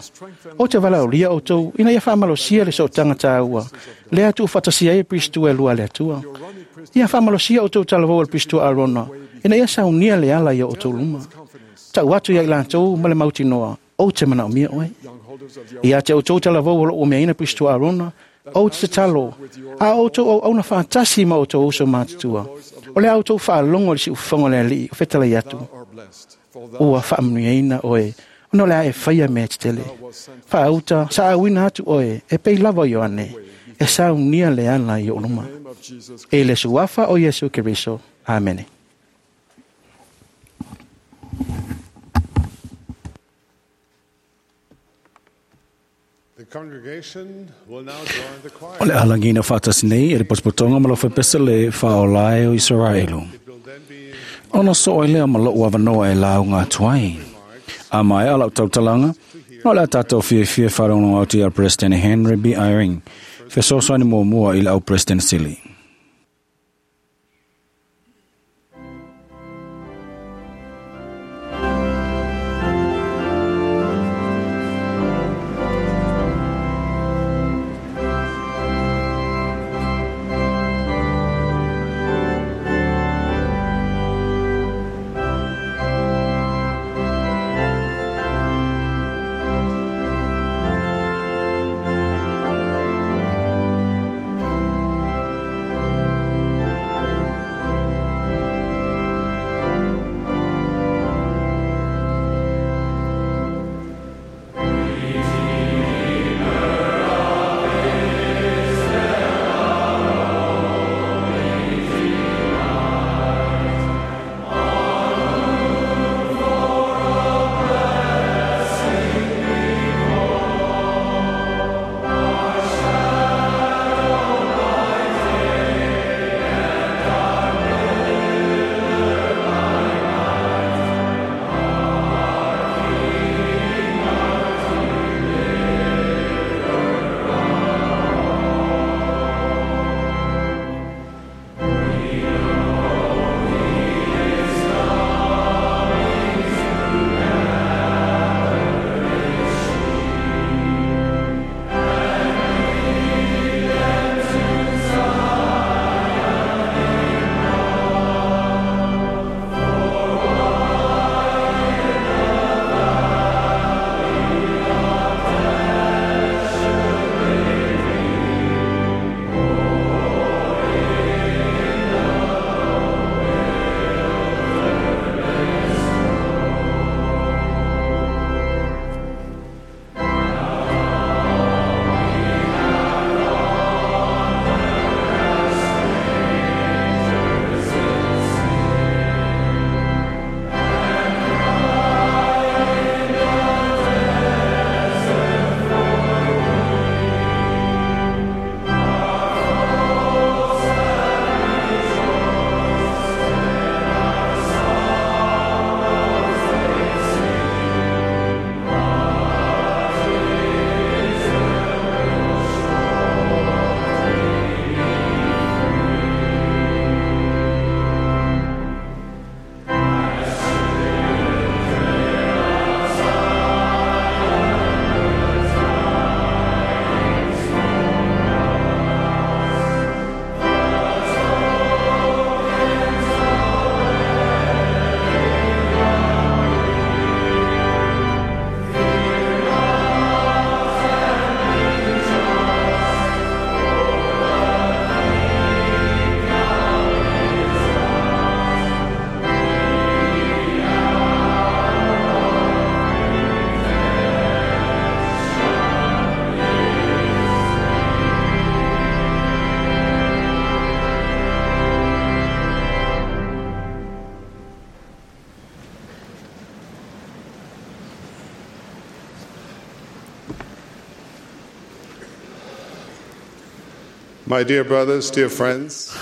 o te valaaulia outou ina ia faamalosia le sootaga tāua, lea tuufaatasia ai le Peristua e lua a le Atua. Ia faamalosia outou talavou o le Peristua Arona, ina ia saunia le ala i o outou luma. Tau atu ia i latou ma le mautinoa, ou te manaomia oe. young holders of the Ia te outou talavou o lo o umiaina Peristua Arona, ou te tatalo, a outou auauna faatasi ma outou uso matutua. O le a outou faalogo i le siufofoga o le Alii o fetalai atu, are blessed, for thou ua faamanuiaina oe, ona o le a e faia mea tetele. Faauta, saauina atu oe, e pei lava o Ioane, e saunia le ala i ou luma. name of Jesus E le suafa o Iesu Keriso. Amene. The congregation will now join the choir. O le alagina faatasi nei e le potopotoga ma lau faipese le faaolae o Isaraelu. It will then be Ona soo ai lea ma lou avanoa e lauga atu ai. A maea lau tautalaga, o le a tatou fiafia faalogologo atu ia President Henry B. Eyring, fesoasoani muamua i le au President sili. The My dear brothers, dear friends,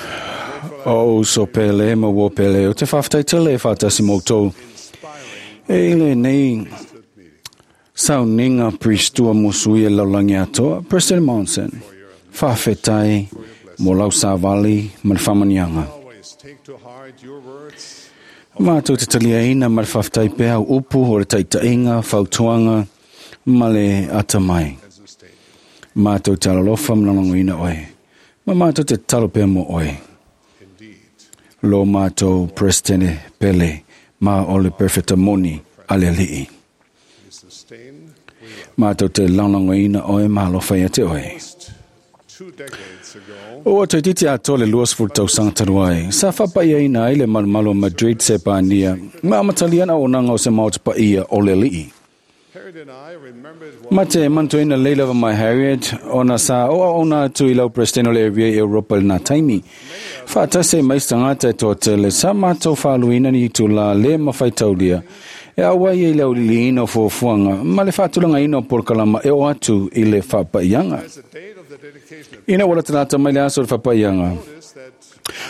O uso pele ma wo pele o te whaftai tele whatasi moutou. E ile nei sauninga pristua musui e laulangi atoa, President Monson, whawhetai mo lau sāvali ma le whamanianga. always take to heart your words Mātou te talia ina ma le whaftai pea o upu o le taitainga, whautuanga, ma le atamai. and sustain. Mātou te alalofa mlalongo ina oe. Ma mātou te talo pea mo oe. Indeed, Lo mātou President Pele, ma o le perfecta moni ale alii. you sustain. We love. Mātou te laulauga ina oe ma alofa ia te oe. Almost 2 decades ago, O atu titi atoa le 20 tausaga talu ai. Sa faapaia ai le malumalu o Madrid se Pania. Ma amataliana o nanga o se maota paia o le alii. Harriet and I remembered what Ma te mantuina leila wa mai Harriet, ona sa o ona atu i lau president o le area i Europa le nā taimi. Whaatase mai stangata e toa tele, sa mātou whaaluina ni tu la le mawhai taulia. E awai e lau liliina o fuafuanga, ma le whaatulanga ina o porokalama e o atu i le whaapaianga. as the date of the dedication of Ina wala talata mai le aso o le whapaianga. notice that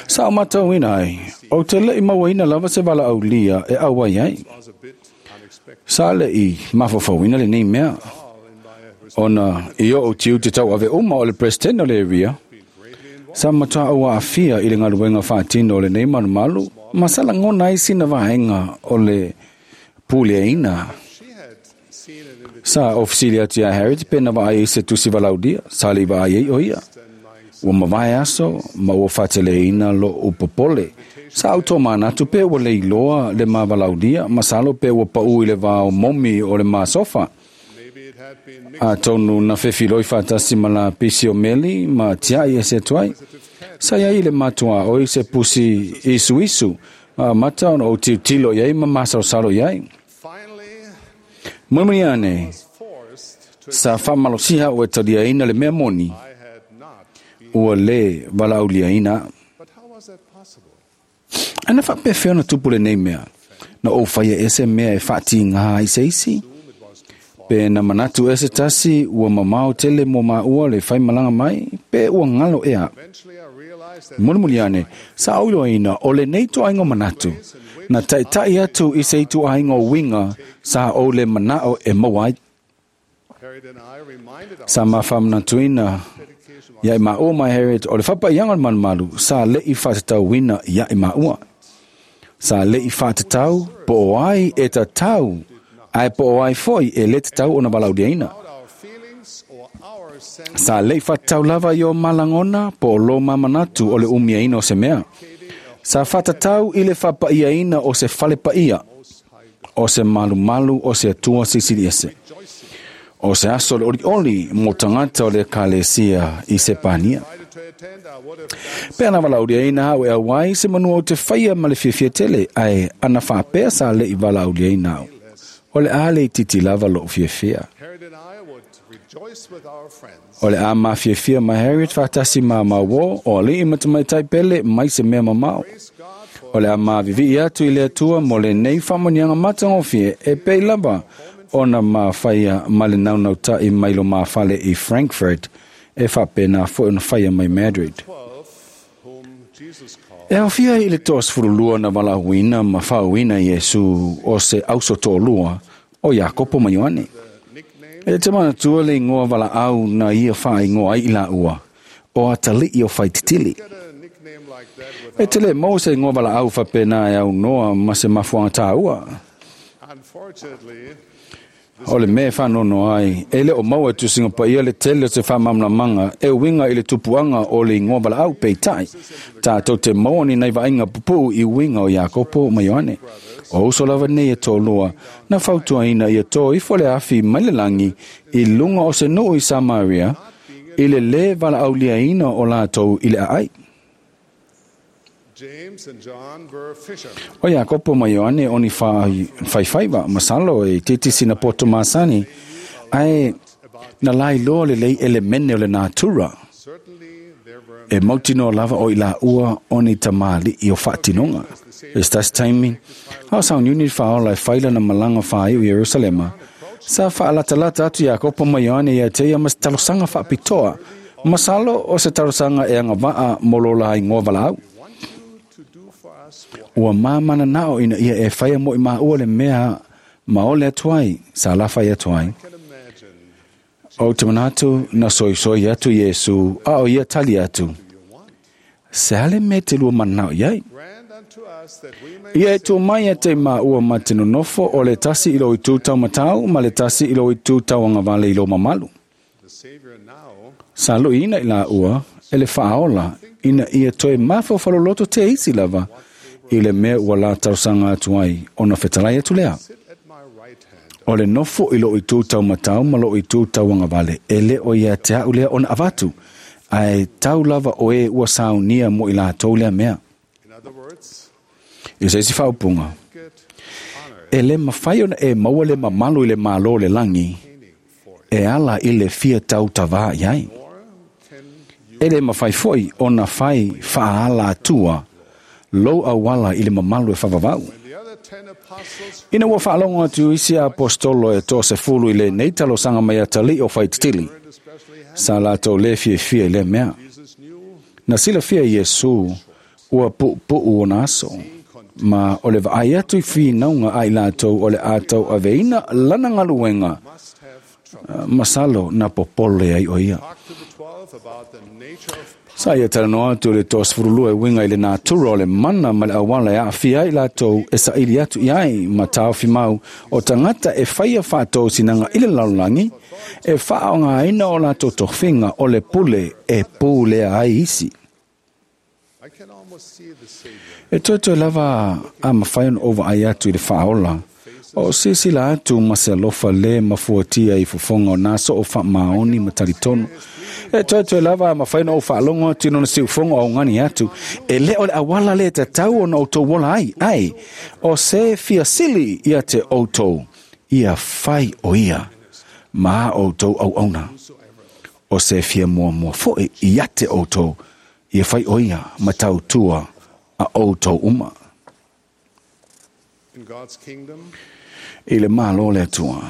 Sa o mātou ina ai, o te le i mawaina lava se wala au lia e awai ai. was a bit unexpected. Sa le i mawhawhawina le nei mea. All in my Ona i o tiu te tau ave uma o le president o le area. be greatly involved. Sa matua au afia i le ngaluenga whaatino o le nei malumalu. Ma sala ngona ai sina vaenga o le pule ina. She had seen an invitation Sa ofisili atu ia Harriet pena vaai i se tusi valaudia. Sa le vaai ai o ia. and my Ua mavae aso, ma ua whateleina lo upopole. Sa auto manatu pe ua leiloa le mavalaudia, ma salo pe ua pau i le vao momi o le masofa. maybe it had been mixed A tonu na whewhiloi whatasi ma la pisi o meli, ma tiai e se tuai. Sa ia i le matua oi se pusi isu isu. A mata ona o tiutilo iai ma masalo salo iai. finally Mulimuli ane, was forced to sa whamalosiha o e talia ina le mea moni, I had not been. ua le valaulia ina. But how was that possible? Ana whapewhea na tupu le nei mea. Na o whaia ese mea e whaati ngā i se isi. It was too far. Pe na manatu ese tasi ua mamao tele mo maua le whai malanga mai, pe ua ngalo ea. Eventually I realized that Mulimuli ane, sa auilo ina o le nei tuaingo manatu. Na taitai atu i se tuaingo winga sa o le manao e mawai. Harriet and I reminded our Sa mawhamanatuina dedication ia i maua mai Harriet o le whapaianga o le malumalu sa le i whatatau wina ia i maua. Sa le i whatatau po o ai e tatau ai po o ai foi e le tatau o na valaudiaina. about our feelings or our sense Sa le i whatatau lava i o malangona po o lo mamanatu o le umiaina o se mea. Sa whatatau i le whapaiaina o se whalepaia o se malumalu o se atua sisili ese. O se aso le ori oli mo tangata o le kalesia i se pania. invited to attend, I would have done Pe ana valaulia ina au e awai se manua o te whaia ma le fiafia tele ai ana whapea sa le i valaulia ina au. O le a le i titi lava lo fiafia. Harriet and I would rejoice with our friends O le a ma fiafia ma Harriet whatasi ma mawo o le i matamaitai pele mai se mea mamao. Praise God for O le a ma vivi atu i le atua mo le nei whamonianga matangofie e pei lava ona ma whaia ma le naunau tai mai lo mawhale i Frankfurt e whapena fo ona whaia mai Madrid. 12 whom Jesus called E awhia i le toa sfurulua na walahuina ma whauina Yesu o se auso tōlua o Iakopo ma Ioane. nickname E te manatua le ingoa wala au na ia wha ingoa ai i la ua o atali i o whaititili. get a nickname like that E without te le mau se ingoa wala au whapena e au noa ma se mafuanga tāua. unfortunately O le mea whanono ai, e le o maua tu singa pa ia le tele o te whamamlamanga, e winga i le tupuanga o le ingoa wala au peitai. Tātou te maua ni nei vainga pupu i winga o Iakopo ma Ioane. O uso lava nei e tōlua, na fautuaina ia tō ifo le afi mai le langi i lunga o se nuu i Samaria, i le le wala auliaina o lātou i le aai. James and John were fishermen. O Iakopo ma Ioane oni whaiwhaiwa, masalo e titi sina poto masani, ai na lai loa le lei elemene o le natura. Certainly there were E mautino lava o i la ua oni tamali i o whaatinonga. E stas taimi, hao sa uniuni whaola e whaila na malanga whai o Yerusalema. Sa whaalatalata atu Iakopo ma Ioane ia te ia mas talosanga whaapitoa. Masalo o se talosaga e agava'a mo lo la igoa valaau. Ua mamanana'o ina ia e faia mo i maua le mea ma ole atu ai, sa lafai atu ai. O te manatu na soisoi atu Iesu, a o ia tali atu. Se ale me te lua manao iai. Ia e tū mai e te maua ma te nonofo o le tasi i lo i tū taumatau ma le tasi i lo i tū tauagavale i lo mamalu. Sa luiina i la ua e le faaola ina ia toe mafaufaloloto te isi lava i le mea ua la talosaga atu ai ona fetalai atu lea. O le nofo i loo itu taumatau ma loo itu tauagavale e le o ia te au lea ona avatu ae tau lava o e ua saunia mo i latou lea mea. I se isi faaupuga, e le mafai ona e maua le mamalu i le malo le lagi e ala i le fia tautavā i ai. E le mafai foi ona fai faaala atua lou auala i le mamalu e faavavau. Ina ua faalogo atu isi apostolo e 30 i lenei talosaga mai atalii o faititili, sa latou lē fiafia i lea mea. Na silafia Iesu ua puupuu ona aso, ma o le vaai atu i finauga a i latou o le a tauaveina lana galuega, masalo na popole ai o ia. Sa ia talanoa atu le 32 e uiga i le natura o le mana ma le auala e aafia ai latou e saili atu i ai ma taofi mau o tagata e faia faatosinaga i le lalolagi e faaaogāina o latou tofiga o le pule e pulea ai isi. E toetoe lava a mafai ona ou vaai atu i le faaola o silasila atu ma se alofa lē mafuatia i fofoga o nā soo faamaoni ma talitonu. E toetoe lava a mafai ona ou faalogo atu i lona siufogo augani atu e lē o le auala lē tatau ona outou ola ai, ae o se fiasili ia te outou ia fai o ia ma a outou auauna. O se fia muamua fo'i ia te outou ia fai o ia ma tautua a outou uma. I le malo le Atua,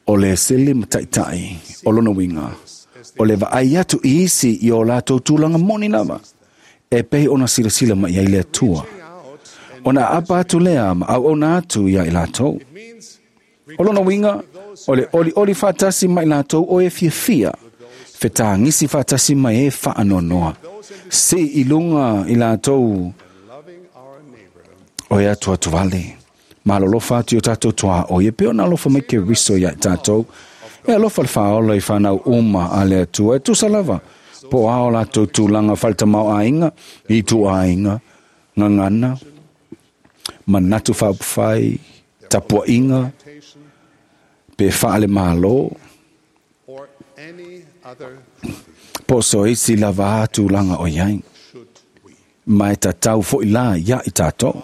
o le sili ma taitai o lona uiga, o le vaai atu i isi i o latou tulaga moni lava, e pei ona silasila mai ai le Atua. Ona aapa atu lea ma auauna atu ia i latou. O lona uiga, o le olioli faatasi ma i latou o e fiafia, fetagisi faatasi mai e faanoanoa, si i luga i latou o e atu atu vale. Malolofa atu i o tātou toa o ia pe ona alofa mai ke riso ia i tātou. E alofa le faaola i whanau uma a le Atua e tusa lava. Po ao latou tulaga faletamao aiga, i tu aiga, gagana, manatu faaupufai, tapuaiga, pe faale malo, po so isi lava a tulaga o iai. Ma e tatau fo'i la ia i tātou.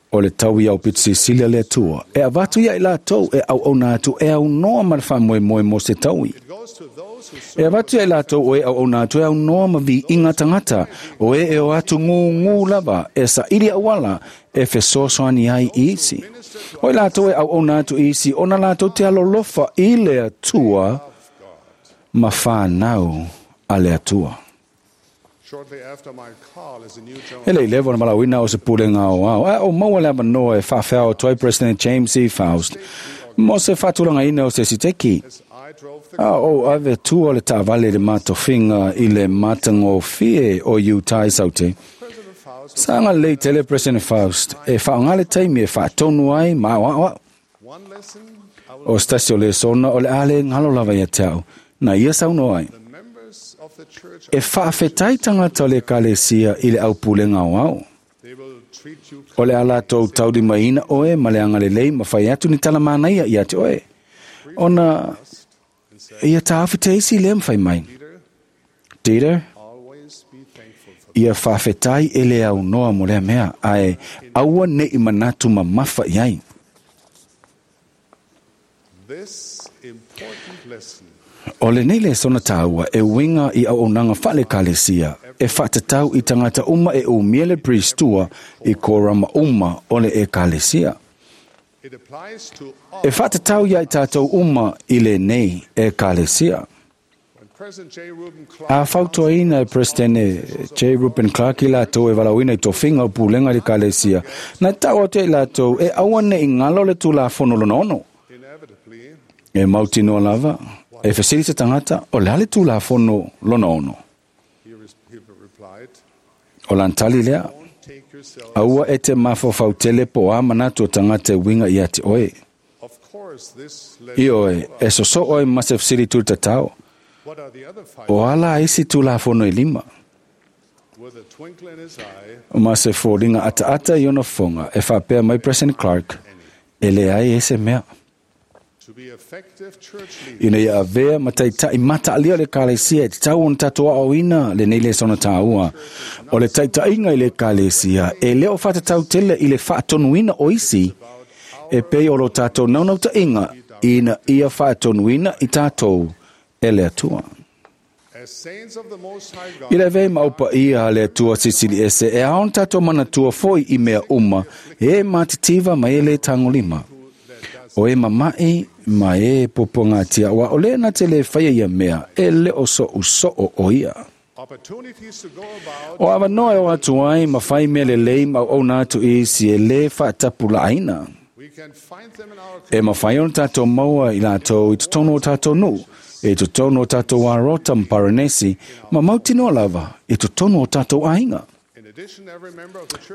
O le tau i au pito silisili a le Atua e avatu ia i latou e auauna atu e aunoa ma le faamoemoe mo se taui. E avatu ia i latou o e auauna atu e aunoa ma viiga tagata o e e o atu gugū lava e saili auala e fesoasoani ai i isi. O i latou e auauna atu i isi ona latou te alolofa i le Atua ma whanau a le Atua. E le i lewa na malauina o se pulega o ao. A o maua le avanoa e faafeao atu ai President James E. Faust mo se faatulagaina o se siteki. A o ave tua le taavale i le matofiga i le matagofie o Utah i Saute. Sa agalelei tele President Faust e faaaogā le taimi e faatonu ai ma aoaoao. O se tasi o lesona o le a le galo lava ia te au, na ia saunoa ai. E faafetai tagata o le ekalesia i le aupulega o ao. O le a latou taulimaina oe ma le agalelei ma fai atu ni tala manaia ia te oe. Ona ia taofi te isi lea mafai mai. Dieter, ia faafetai e le aunoa mo lea mea, ae aua nei manatu mamafa i ai. O lenei lesona tāua e uiga i auaunaga faale-ekalesia e faatatau i tagata uma e umia le priestua i korama uma o le ekalesia. E faatatau ia i tātou uma i lenei ekalesia. A fautuaina e Peresetene J. Reuben Clark i latou e valaauina i tofiga o pulega i le Ekalesia, na ta'u atu ai i latou e aua ne'i galo le Tulafono lona ono. E mautinoa lava, e fesili se tagata, o le a le Tulafono lona ono? O lana tali lea, aua e te mafaufau tele po o a manatu o tagata e uiga ia te oe. Ioe, e sosoo ai ma se fesili tulitatao, o a la isi Tulafono e 5? Ma se foliga ataata i ona fofoga, e faapea mai President Clark, e leai e se mea. Ina ia avea ma taita'i mataalia o le Ekalesia e tatau ona tatou aoaoina lenei lesona tāua. O le taita'iga i le Ekalesia e le o faatatau tele i le faatonuina o isi, e pei o lo tatou naunauta'iga ina ia faatonuina i tatou e le Atua. I le avea ma aupaia a le Atua Silisili Ese, e ao ona tatou manatua foi i mea uma, e matitiva ma e le tagolima, o e mama'i ma e puapuagatia, aua o lea na te le faia ia mea, e le o so'uso'o o ia. O avanoa e o atu ai ma fai mea lelei ma auauna atu i isi e lē fa'atapulaaina. E mafai ona tatou maua i latou i totonu o tatou nu'u, i totonu o tatou arota ma paranesi, ma mautinoa lava i totonu o tatou aiga.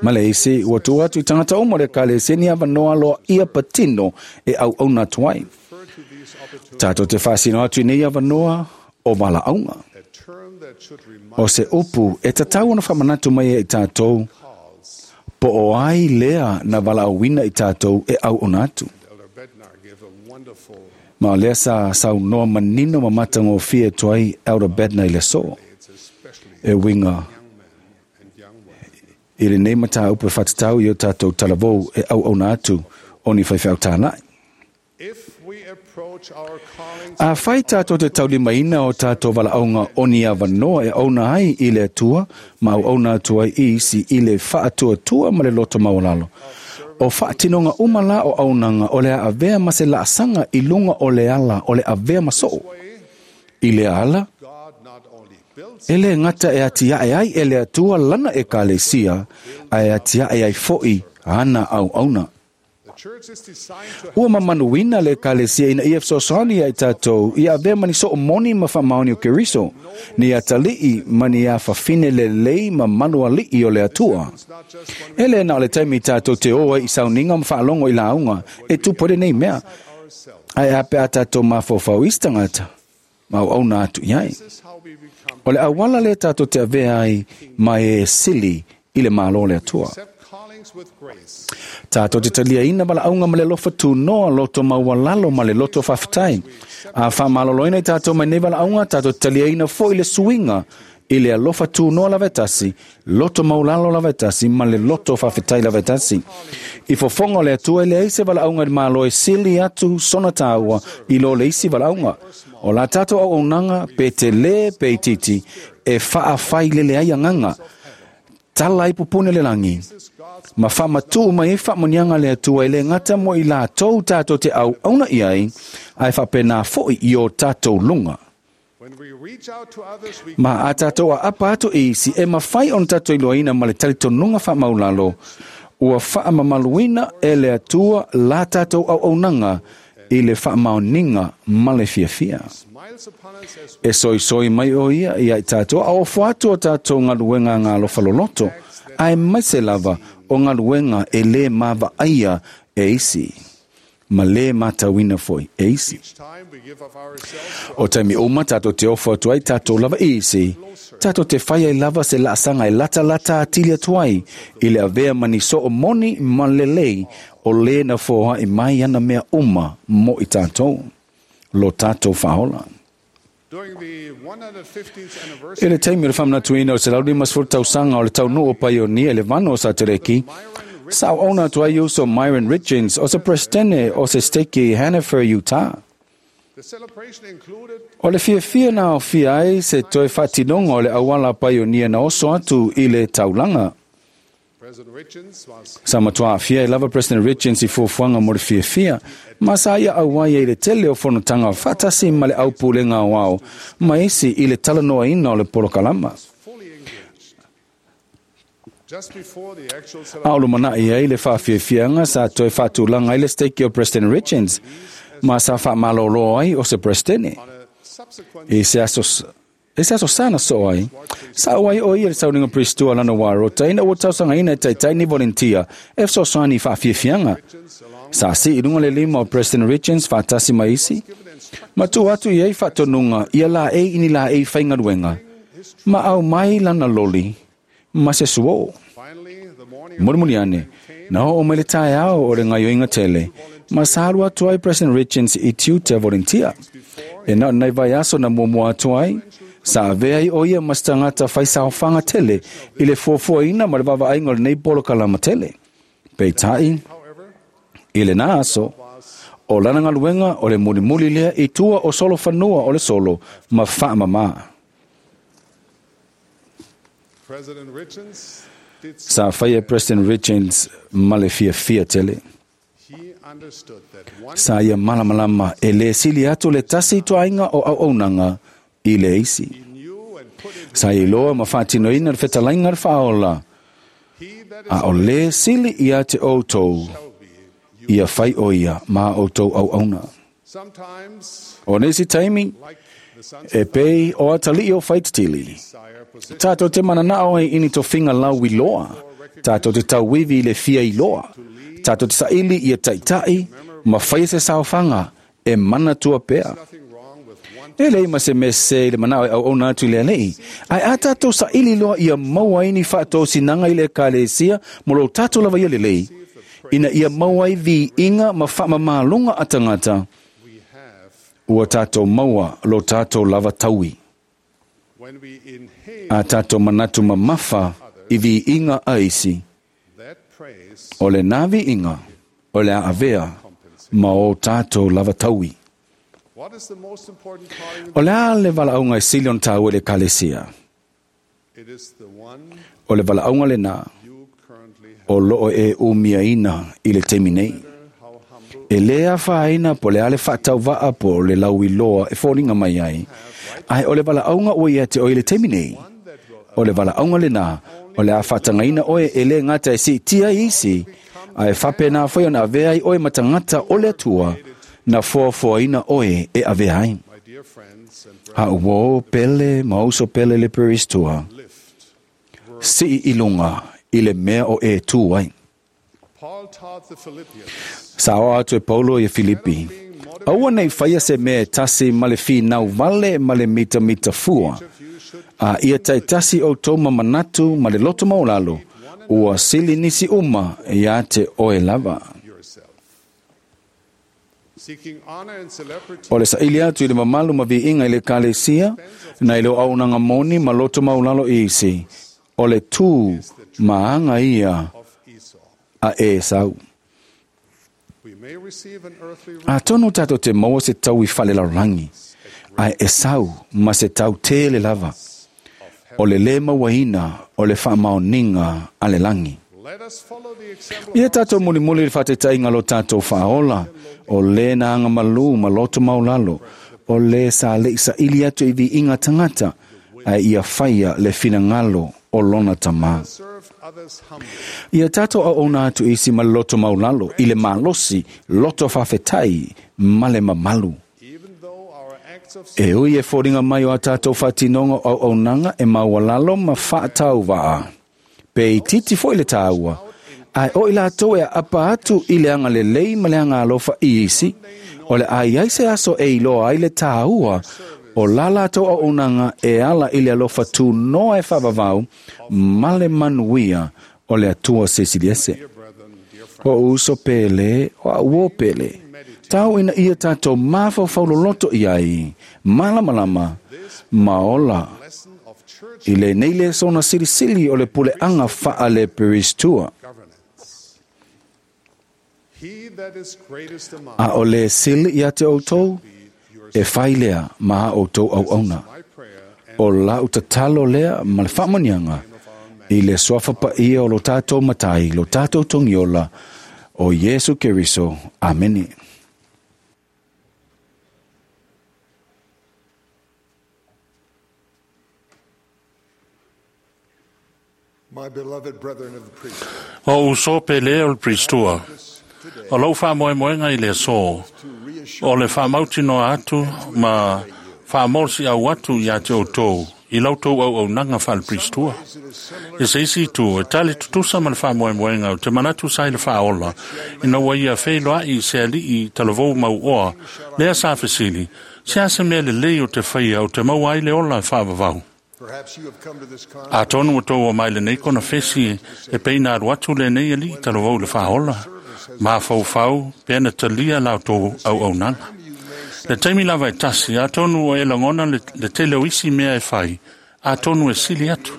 Ma le isi, ua tuu atu i tagata uma o le Ekalesia ni avanoa aloaia patino e auauna atu ai. Tatou te faasino atu i nei avanoa o valaauga. O se upu e tatau ona faamanatu mai ai i tatou, po o ai lea na valaauina i tatou e auauna atu. Ma o lea sa saunoa manino ma matagofie atu ai Elder Bednar i le aso, e uiga i lenei mataupu e faatatau i o tatou talavou e auauna atu o ni faifeau tāla'i. Afai tatou te taulimaina o tatou valaauga o ni avanoa e auauna ai i le Atua ma auauna atu ai i isi i le faatuatua ma le loto maualalo, o faatinoga uma la o auaunaga o le a avea ma se laasaga i luga o le ala o le avea ma soo. I lea ala, e le gata e atiae ai e le Atua lana Ekalesia, ae atiae ai fo'i ana auauna. Ua mamanuina le Ekalesia ina ia fesoasoani ia i tatou ia avea ma ni soo moni ma faamaoni o Keriso, ni atali'i ma ni afafine lelei ma manuali'i o le Atua. E le na o le taimi tatou te o ai i sauniga ma faalogo i lauga e tupu ai lenei mea, ae a pe a tatou mafaufau i isi tagata ma auauna atu i ai. O le auala lea tatou te avea ai ma e sili i le Malo o le Atua. Tatou te taliaina valaauga ma le alofa tunoa, loto maualalo ma le loto faafetai. A faamaloloina i tatou mai nei valaauga, tatou te taliaina foi le suiga i le alofa tunoa lava e tasi, loto maualalo lava e tasi, ma le loto faafetai lava e tasi. I fofoga o le Atua e leai se valaauga i le Malo e sili atu sona tāua i lo le isi valaauga. O la tatou auaunaga, pe telē pe itiiti, e faafailele ai agaga, tala ai pupuni o le lagi, ma faamatuu mai ai faamuniaga a le Atua e le gata mo i latou tatou te auauna i ai, ae faapena foi i o tatou luga. Ma a tatou aapa atu i isi, e mafai ona tatou iloaina ma le talitonuga faamaulalo, ua faamamaluina e le Atua la tatou auaunaga i le faamaoniga ma le fiafia. E soisoi mai o ia ia i tatou a ofo atu o tatou galuega galofa loloto, ae maise lava o galuega e lē mavaaia e isi, ma lē matauina foi e isi. O taimi uma tatou te ofo atu ai tatou lava i isi, tatou te fai ai lava se laasaga e latalata atili atu ai i le avea ma ni soo moni ma lelei o lē na foa'i mai ana mea uma mo i tatou, lo tatou faaola. I le taimi o le faamanatuina o le 150 tausaga o le taunuu o Paionia i le vano o Satereki, sa auauna atu ai uso Myron Richins o se Peresetene o se Steke i Hannefer, Utah. O le fiafia na aofia ai se toe faatinoga o le auala a Paionia na oso atu i le taulaga. Sa matua aafia ai lava President Richins i fuafuaga mo le fiafia, ma sa ia auai ai i le tele o fonotaga faatasi ma le aupulega aoao ma isi i le talanoaina o le polokalama. A o lumanai ai le faafiafiaga sa toe faatulaga ai le steiki o President Richins, ma sa faamalōlō ai o se Peresetene. I se aso I se aso sa na soo ai, sa auai o ia i le sauniga Prestua lana warota ina ua tausagaina e taitai ni volentia e fesoasoani i faafiafiaga. Sa sii i luga le lima o President Richins faatasi ma isi, ma tuu atu i ai faatonuga ia laei i ni laei faigaluega, ma aumai lana loli ma se suō. Mulimuli ane, na oo mai le taeao o le gaoioiga tele, ma sa alu atu ai President Richins i tiute volentia. E na o nai vaiaso na muamua atu ai, sa avea ai o ia ma se tagata faisaofaga tele i le fuafuaina ma le vaavaaiga o lenei polokalama tele. Peitai, i lena aso, o lana galuega o le mulimuli lea i tua o solofanua o le solo ma faamamā. Sa faia e President Richins ma le fiafia tele. Sa ia malamalama e lē sili atu le tasi ituaiga o auaunaga i le isi. Sa ia iloa ma faatinoina le fetalaiga a le Faaola, a o lē sili ia te outou ia fai o ia ma a outou auauna. O nisi taimi, e pei o atalii o Faitetili, tatou te mananao ai i ni tofiga lauiloa, tatou te tauivi i le fia iloa, tatou te saili ia taitai ma faia se saofaga e manatua pea. E leai ma se mea sese i le manao e auauna atu i le Alii, ae a tatou saili loa ia maua ai ni faatosinaga i le Ekalesia mo lo tatou lava ia lelei, ina ia maua ai viiga ma faamamaloga a tagata, ua tatou maua lo tatou lava taui. A tatou manatu mamafa i viiga a isi, o lena viiga o le a avea ma o tatou lava taui. O le a le valaauga e sili ona taua i le Ekalesia? O le valaauga lena o loo e umiaina i le taimi nei. E lē afaina po o le a le faatauvaa po o le lauiloa e foliga mai ai, ae o le valaauga ua ia te oe i le taimi nei. O le valaauga lena o le a faatagaina oe e lē gata e siitia ai isi, ae faapena foi ona avea ai oe ma tagata o le Atua na foafoaina oe e avea ai. A uō pele ma uso pele le Peristua, sii i luga i le mea o e tū ai. Sa aoao atu e Paulo ia Filipi, Aua ne i faia se mea e tasi ma le finau vale ma le mitamita fua, a ia taitasi outou ma manatu ma le loto maualalo, ua sili nisi uma ia te oe lava. O le saili atu i le mamalu ma viiga i le Ekalesia, nai lo auaunaga moni ma loto maualalo i isi, o le tū ma aga ia a Esau. Atonu tatou te maua se tau i falelalolagi, ae Esau ma se tau tele lava, o le lē mauaina o le faamaoniga a le lagi. Ia tatou mulimuli i le faataitaiga o lo tatou Faaola, o lē na agamalū ma loto maualalo, o lē sa leʻi saili atu i viiga tagata, ae ia faia le finagalo o lona Tama. Ia tatou auauna atu i isi ma le loto maualalo, i le malosi, loto faafetai ma le mamalu. E ui e foliga mai o a tatou faatinoga o auaunaga e maualalo ma faatauvaa, pe itiiti foi le taua, ae o i latou e aapa atu i le agalelei ma le agaalofa i isi, o le a i ai se aso e iloa ai le taua o la latou auaunaga e ala i le alofa tunoa e faavavau ma le manuia o le Atua Silisiliese. O uso pele, o a'u uō pele, tau ina ia tatou mafaufau loloto i ai, malamalama, ma ola i lenei lesona silisili o le puleaga faale-Peristua. A o le sili ia te outou, e fai lea ma a outou auauna. O lau tatalo lea ma le faamanuiaga I le suafa paia o lo tātou matai, lo tātou togiola, o Iesu Keriso. Amene. My beloved brethren of the priesthood, O uso pele o le pristua. O lau whaamoemoenga i le aso. O le whaamautinoa atu ma whaamorosi au atu ia te outou i lau tou auaunaga faale-pristua. E se isi itu, e tali tutusa ma le faamoemoega o te manatu sa i le faaola, ina ua ia feiloai i se ali'i talavou mauoa, lea sa fesili, se a se mea lelei o te faia o te maua ai le ola e faavavau. perhaps you have come to this conference Atonu ua tou o mai lenei konafesi e peina alu atu lenei ali'i talavou i le faaola, mafaufau pe na talia la outou auaunaga. Le taimi lava e tasi, atonu o e lagona le tele o isi mea e fai, atonu e sili atu.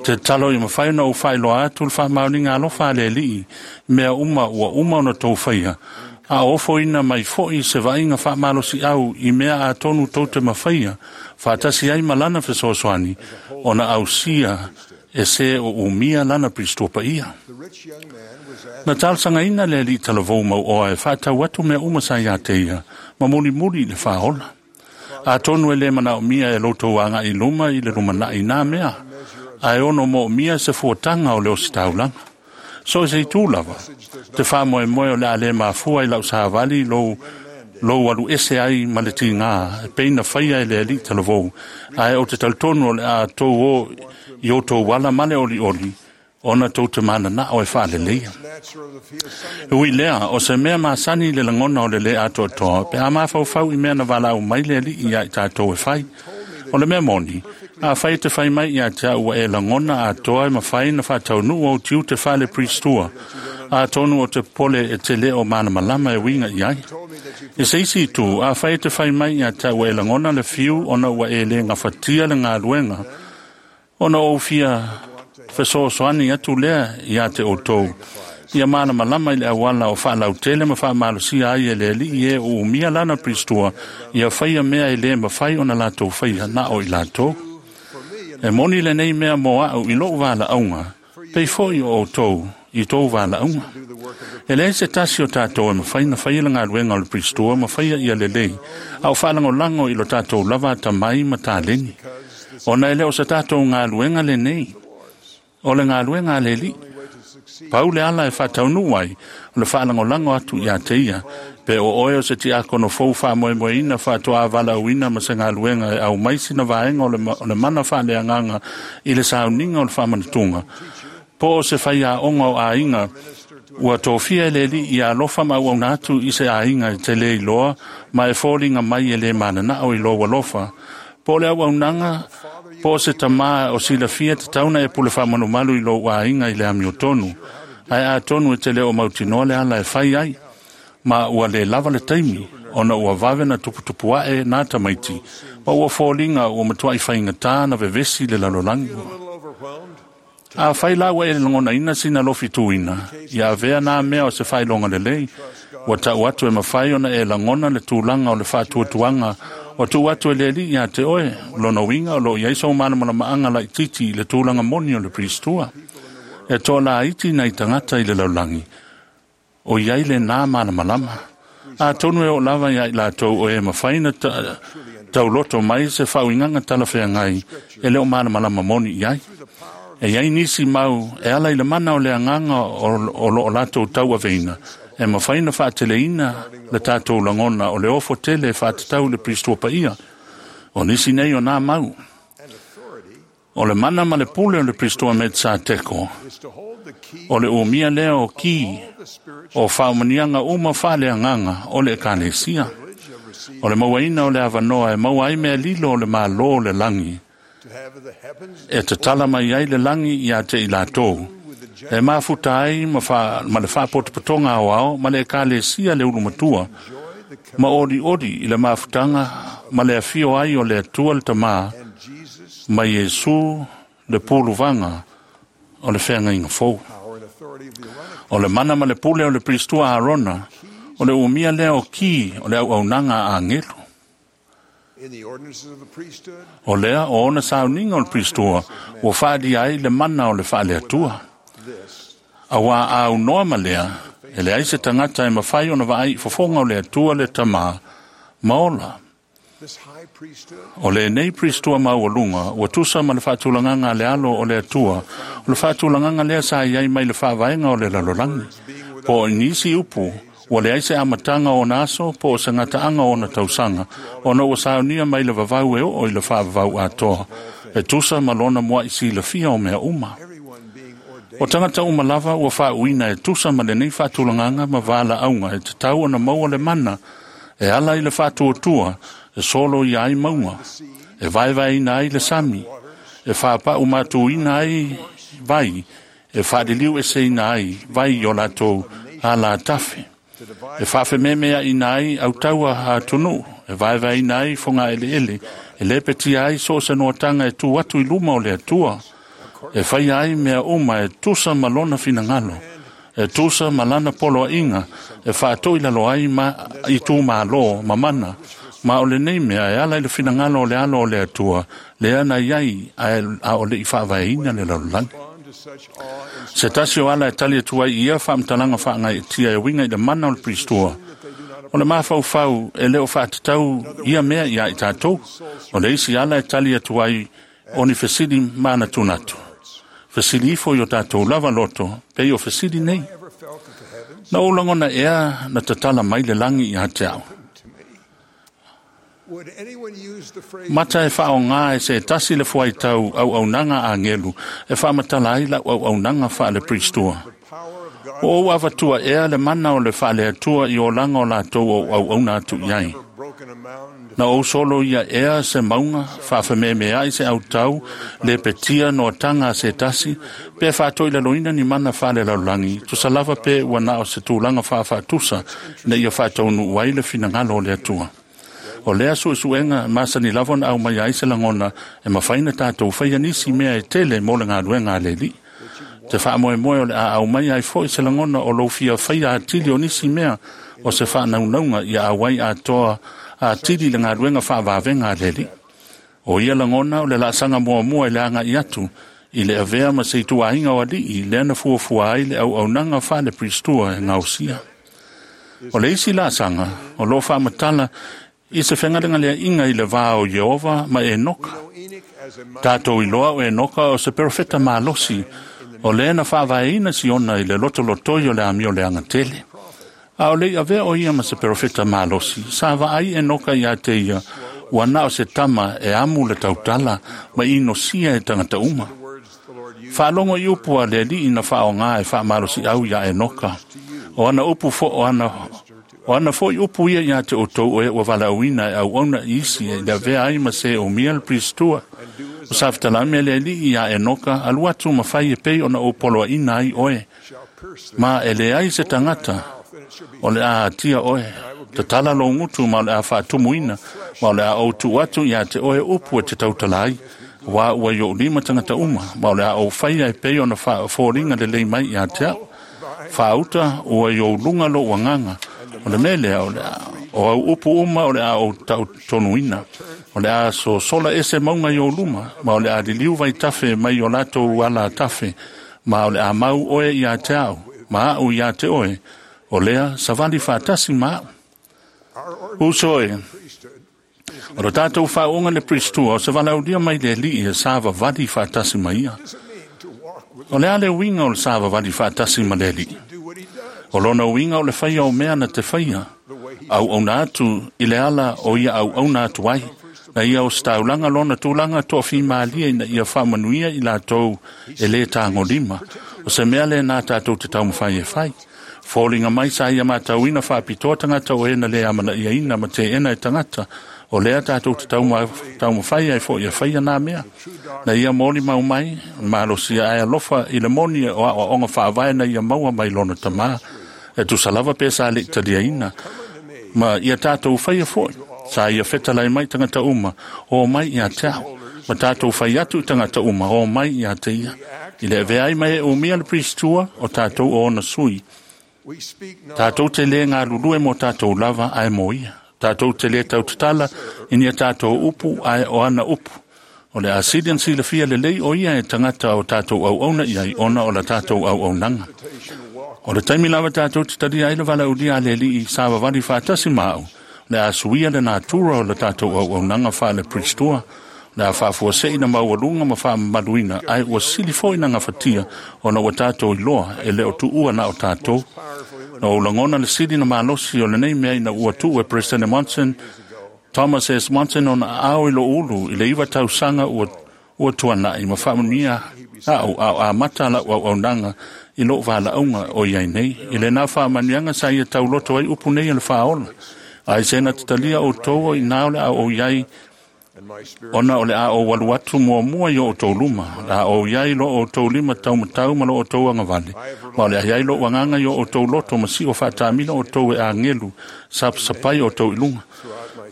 Te talo i mawhai na o whailoa atu le whaamaoniga alofa a le alii, mea uma ua uma ona tou faia, a ofoina mai fo'i se vaaiga faamalosi'au i mea atonu tou te mafaia, faatasi ai ma lana fesoasoani, ona ausia e se o umia lana pristua paia. The rich young man was asked Na talosagaina le ali'i talavou mauoa e faatau atu mea uma sa iā te ia, ma mulimuli i le faaola. Atonu e lē manaomia e loutou aga'i luma i le lumana'i nā mea, ae ono mo'omia se fuataga o le ositaulaga. So e se itu lava, te faamoemoe o le a lē mafua i la'u savali lou lou alu ese ai ma le tigā e peina faia e le ali'i talavou, ae o te talitonu o le a tou o i outou ala ma le olioli, ona tou te manana'o e faaleleia. natural if he is sung Ui lea, o se mea masani le lagona o le lē atoatoa, pe a mafaufau i mea na valaau mai le ali'i iā i tātou e fai. O le mea moni, afai e te fai mai ia te a'u ua e lagona atoa e mafai na faataunuu ou tiute faale-pristua, atonu o te popole e te lē o malamalama e uiga i ai. E se isi itu, afai e te fai mai ia te a'u ua e lagona le fiu ona ua e lē gafatia le galuega, ona ou fia fesoasoani atu lea ia te outou. Ia malamalama i le auala o faalautele ma faamalosia ai e le ali'i e o umia lana pristua, ia faia mea e lē mafai ona latou faia na o i latou. E moni lenei mea mo a'u i lo'u valaauga, pei fo'i o outou i tou valaauga. E leai se tasi o tātou e mafai na faia le galuega o le pristua ma faia ia lelei, a o faalagolago i lo tātou lava atamai ma taleni. Ona e lē o se tātou galuega lenei, o le galuega a le ali'i. Pau le ala e faataunuu ai, o le faalagolago atu iā te ia, pe o oe o se tiakono fou faamoemoeina faatoā valaauina ma se galuega e aumai sina vaega o le mana faaleagaga i le sauniga o le faamanatuga, po o se faiaoga o aiga ua tofia e le ali'i ia alofa ma auauna atu i se aiga e te lē iloa ma e foliga mai e lē manana'o i lou alofa, po o le auaunaga po o se tamā o silafia tatauna e pule faamalumalu i lou aiga i le amiotonu, ae atonu e te lē o mautinoa le ala e fai ai, ma ua lē lava le taimi, ona ua vave na tuputupu a'e nā tamaiti, ma ua foliga ua matua'i faigatā na vevesi le lalolagi. a little overwhelmed. Afai la ua e lagonaina sina lofituina, ia avea nā mea o se faailoga lelei, ua ta'u atu e mafai ona e lagona le tulaga o le faatuatuaga o tuu atu e le ali'i iā te oe, lona uiga o loo i ai sou malamalamaaga laititi i le tulaga moni o le pristua. E toalaiti nai tagata i le lalolagi, o i ai lenā malamalama. Atonu e oo lava iā i latou o e mafai na tauloto mai se faauigaga talafeagai e lē o malamalama moni i ai. E iai nisi mau e ala i le mana o le agaga o loo latou tauaveina, e mafai na faateleina le tātou lagona o le ofo tele e faatatau i le pristua paia. O nisi nei o nā mau. O le mana ma le pule o le pristua Melkiseteko, Is to hold the key o le umia lea o ki of the spiritual o faamanuiaga uma faaleagaga o le ekalesia. privilege of receiving O le mauaina o le avanoa e maua ai mea lilo o le mālō o le lagi, to have the heavens e tatala mai ai le lagi iā te i latou. E mafuta ai ma, ma le faapotopotoga aoao ma le ekalesia le ulumatua, enjoy the ma olioli i le mafutaga ma le afio ai o le Atua le Tamā and Jesus ma Iesu le puluvaga o le feagaiga fou. power and authority of the Aaronic O le mana ma le pule o le pristua Arona, o le umia lea o ki o le auaunaga a agelu. O lea o ona sauniga o le Pristua ua faalia ai le mana o le faaleatua. Auā aunoa ma lea, e leai se tagata e mafai ona vaai i fofoga o le Atua le Tamā ma ola. O lenei Pristua maualuga ua tusa ma le faatulagaga a le alo o le Atua, o le faatulagaga lea sa i ai mai le faavaega o le lalolagi. Po o nisi upu, ua leai se amataga o ona aso po o se gataaga o ona tausaga, ona ua saunia mai le vavau e oo i le faavavau atoa, e tusa ma lona muai silafia o mea uma. O tagata uma lava ua faauuina e tusa ma lenei faatulagaga ma valaauga e tatau ona maua le mana e ala i le faatuatua e solo ia ai mauga, e vaevaeina ai le sami, e faapau matuina ai vai, e faaliliu eseina ai vai i o latou alatafe, e faafememeaina ai autaua atunuu, e vaevaeina ai fogaeleele, e lepetia ai so o se noataga e tu atu i luma o le Atua, e faia ai mea uma e tusa ma lona finagalo, e tusa ma lana poloaiga, e faatoi lalo ai ma i tumālō ma mana, ma o lenei mea e ala i le finagalo o le alo o le Atua, lea na iai a o le i faavaeina le lalolagi. Se tasi o ala e tali atu ai i ia faamatalaga faagaeetia e uiga i le mana o le Pristua, o le mafaufau e le o faatatau ia mea ia i tatou. O le isi ala e tali atu ai o ni fesili manatunatu. Fesili ifo i o tatou lava loto, pei o fesili nei. Na ou lagona ea na tatala mai le lagi ia te au. Mata e faaaogā e se tasi le fuaitau auaunaga agelu e faamatala ai lau auaunaga faale-Pristua. O ou avatua ea le mana o le faaleatua i olaga o latou o auauna atu i ai. Na ou solo ia ea se mauga, faafememeai se autau, lepetia noataga a se tasi, pe faatoilaloina ni mana faalelalolagi, tusa lava pe ua na o se tulaga faafaatusa ina ia faataunuu ai le finagalo o le Atua. O lea suesuega masani lava ona aumai ai se lagona e mafai ona tatou faia nisi mea e tele mo le galuega a le Alii. Te faamoemoe o le a aumai ai foi se lagona o lou fia faia atili o nisi mea o se faanaunauga ia auai atoa atili le galuega faavavega a le Alii. O ia lagona o le laasaga muamua i le agai atu i le avea ma se ituaiga o alii lea na fuafua ai le auaunaga faale-Pristua e gaosia. O le isi laasaga o loo faamatala i se fegalegaleaiga i le va o Ieova ma Enoka. Tatou iloa o Enoka o se perofeta malosi, o lea na faavaeina Siona i le lotolotoi o le amio leaga tele. A o le i avea o ia ma se perofeta malosi, sa vaai Enoka ia te ia, ua na o se tama e amu le tautala ma inosia e tagata uma. Faalogo i upu a le Alii na faaaogā e faamalosiau iā Enoka. O ana upu fo o ana O ana foi upu ia ia te outou o e ua valaauina e auauna i isi e le avea ai ma se umia le Pristua. O sa fetalai le Alii ia Enoka, alu atu ma fai e pei ona ou poloaiina ai oe. Ma e leai se tagata o le a atia oe. Tatala lou gutu ma o le a faatumuina, ma o le a ou tuu atu ia te oe upu e te tautala ai. Auā ua i ou lima tagata uma, ma o le a ou faia e pei ona faafoliga lelei mai ia te au. Faauta ua i ou luga lou agaga, o le mea lea o le a o au upu uma o le a ou tautonuina. O le a sosola ese mauga i ou luma, ma o le a liliu vaitafe mai o latou ala tafe, ma o le a mau oe ia te au, ma au ia te oe, o lea savali faatasi ma au. Uso e, o lo tatou faauuga le Pristua o se valaaulia mai le Alii e savavali faatasi ma ia. O le a le uiga o le savavali faatasi ma le Alii? O lona uiga o le faia o mea na te faia, auauna atu i le ala o ia auauna atu ai, na ia ositaulaga lona tulaga toafimalie ina ia faamanuia i latou e lē tagolima. O se mea lenā tatou te taumafai e fai. Foliga mai sa ia matauina faapitoa tagata o e na lē amanaiaina ma teena e tagata, o lea tatou te taumafai ai foi e faia nā mea. Na ia molimau mai, malosia ae alofa i le moni o aoaoga faavae na ia maua mai lona tamā, e tusa lava pe sa leʻi taliaina, ma ia tatou faia foi. Sa ia fetalai mai tagata uma, o mai ia te au. Ma tatou fai atu i tagata uma, o mai ia te ia. I le avea ai ma e umia le Pristua, o tatou o ona sui. Tatou te lē galulue mo tatou lava ae mo ia. Tatou te lē tautatala i ni a tatou upu ae o ana upu. O le a sili ona silafia lelei o ia e tagata o tatou auauna i ai ona o la tatou auaunaga. O le taimi lava tatou te talia ai le valaaulia a le Alii savavali faatasi ma au, o le a suia le natura o le tatou auaunaga faale-Peristua, o le a faafuase'i na maualuga ma faamamaluina, ae ua sili foi na gafatia ona ua tatou iloa e le o tuua na o tatou. Na ou lagona le sili na malosi o lenei mea ina ua tuu e Peresetene Monson, Thomas S. Monson ona aao i lou ulu i le 9 tausaga ua tuana'i ma faamanuia a'u a o amata la'u auaunaga i lou valaauga o i ai nei. I lenā faamanuiaga sa ia tauloto ai upu nei o le faaola. Ai se na tatalia outou o inā o le a ou i ai, ona o le a ou alu atu muamua i o outou luma, o le a ou i ai lo outou lima taumatau ma lo outou agavale, ma o le a i ai lou agaga i o outou loto ma si'o faatamila outou e agelu sapasapai outou i luga.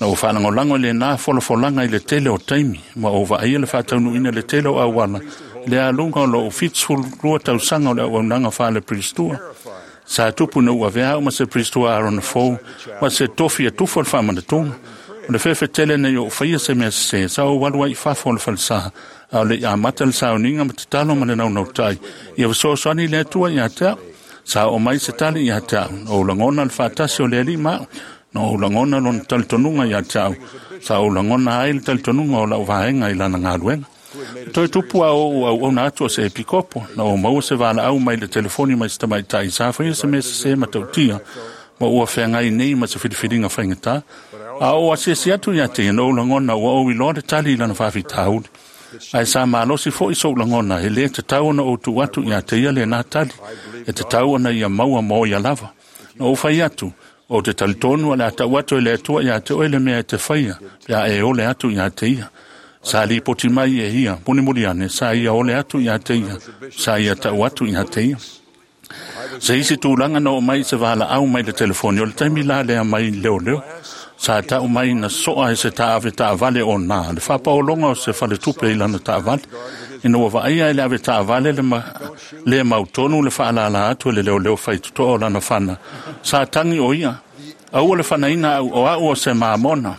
Na ou faalagolago i lenā folafolaga i le tele o taimi, ma ou vaaia le faataunuuina i le tele o auala, i le aluga o lou 72 tausaga o le auaunaga faale-Peristua. Sa tupu ina ua avea au ma se Peristua Arona fou, ma se tofi e tufa le faamanatuga. O le fefetele nei ou faia se mea sesē, sa ou alu ai i fafo o le falesā, a o le i amata le sauniga ma tatalo ma le naunautai, ia fesoasoani le Atua ia te au. Sa oo mai se tali ia te au, na ou lagona le faatasi o le Alii ma au, na ou lagona lona talitonuga ia te au, sa ou lagona ai le talitonuga o lau vaega i lana galuega. Toe tupu a ou auauna atu o se epikopo, na ou maua se valaau mai le telefoni mai se tamaitai sa faia se mea sesē matautia, ma ua feagai nei ma se filifiliga faigata. A ou asiasi atu ia te ia, na ou lagona ua ou iloa le tali i lana faafitauli. Ae sa malosi foi sou lagona, e lē tatau ona ou tuu atu ia te ia lenā tali, e tatau ona ia maua mo ia lava. Na ou fai atu, ou te talitonu o le a tau atu e le Atua ia te oe le mea e te faia, pe a e ole atu ia te ia. Sa lipoti mai e ia, mulimuli ane, sa ia ole atu ia te ia, sa ia tau atu ia te ia. Se isi tulaga na oo mai se valaau mai le telefoni, o le taimi la lea mai leoleo. Sa tau mai na soa e se taave taavale o nā, le faapaologa o se faletupe i lana taavale. Ina ua vaaia e le ave taavale le, ma, le mautonu le faalala atu e le leoleo faitotoa o lana fana. Sa tagi o ia, aua le fanaina au o au o se mamona.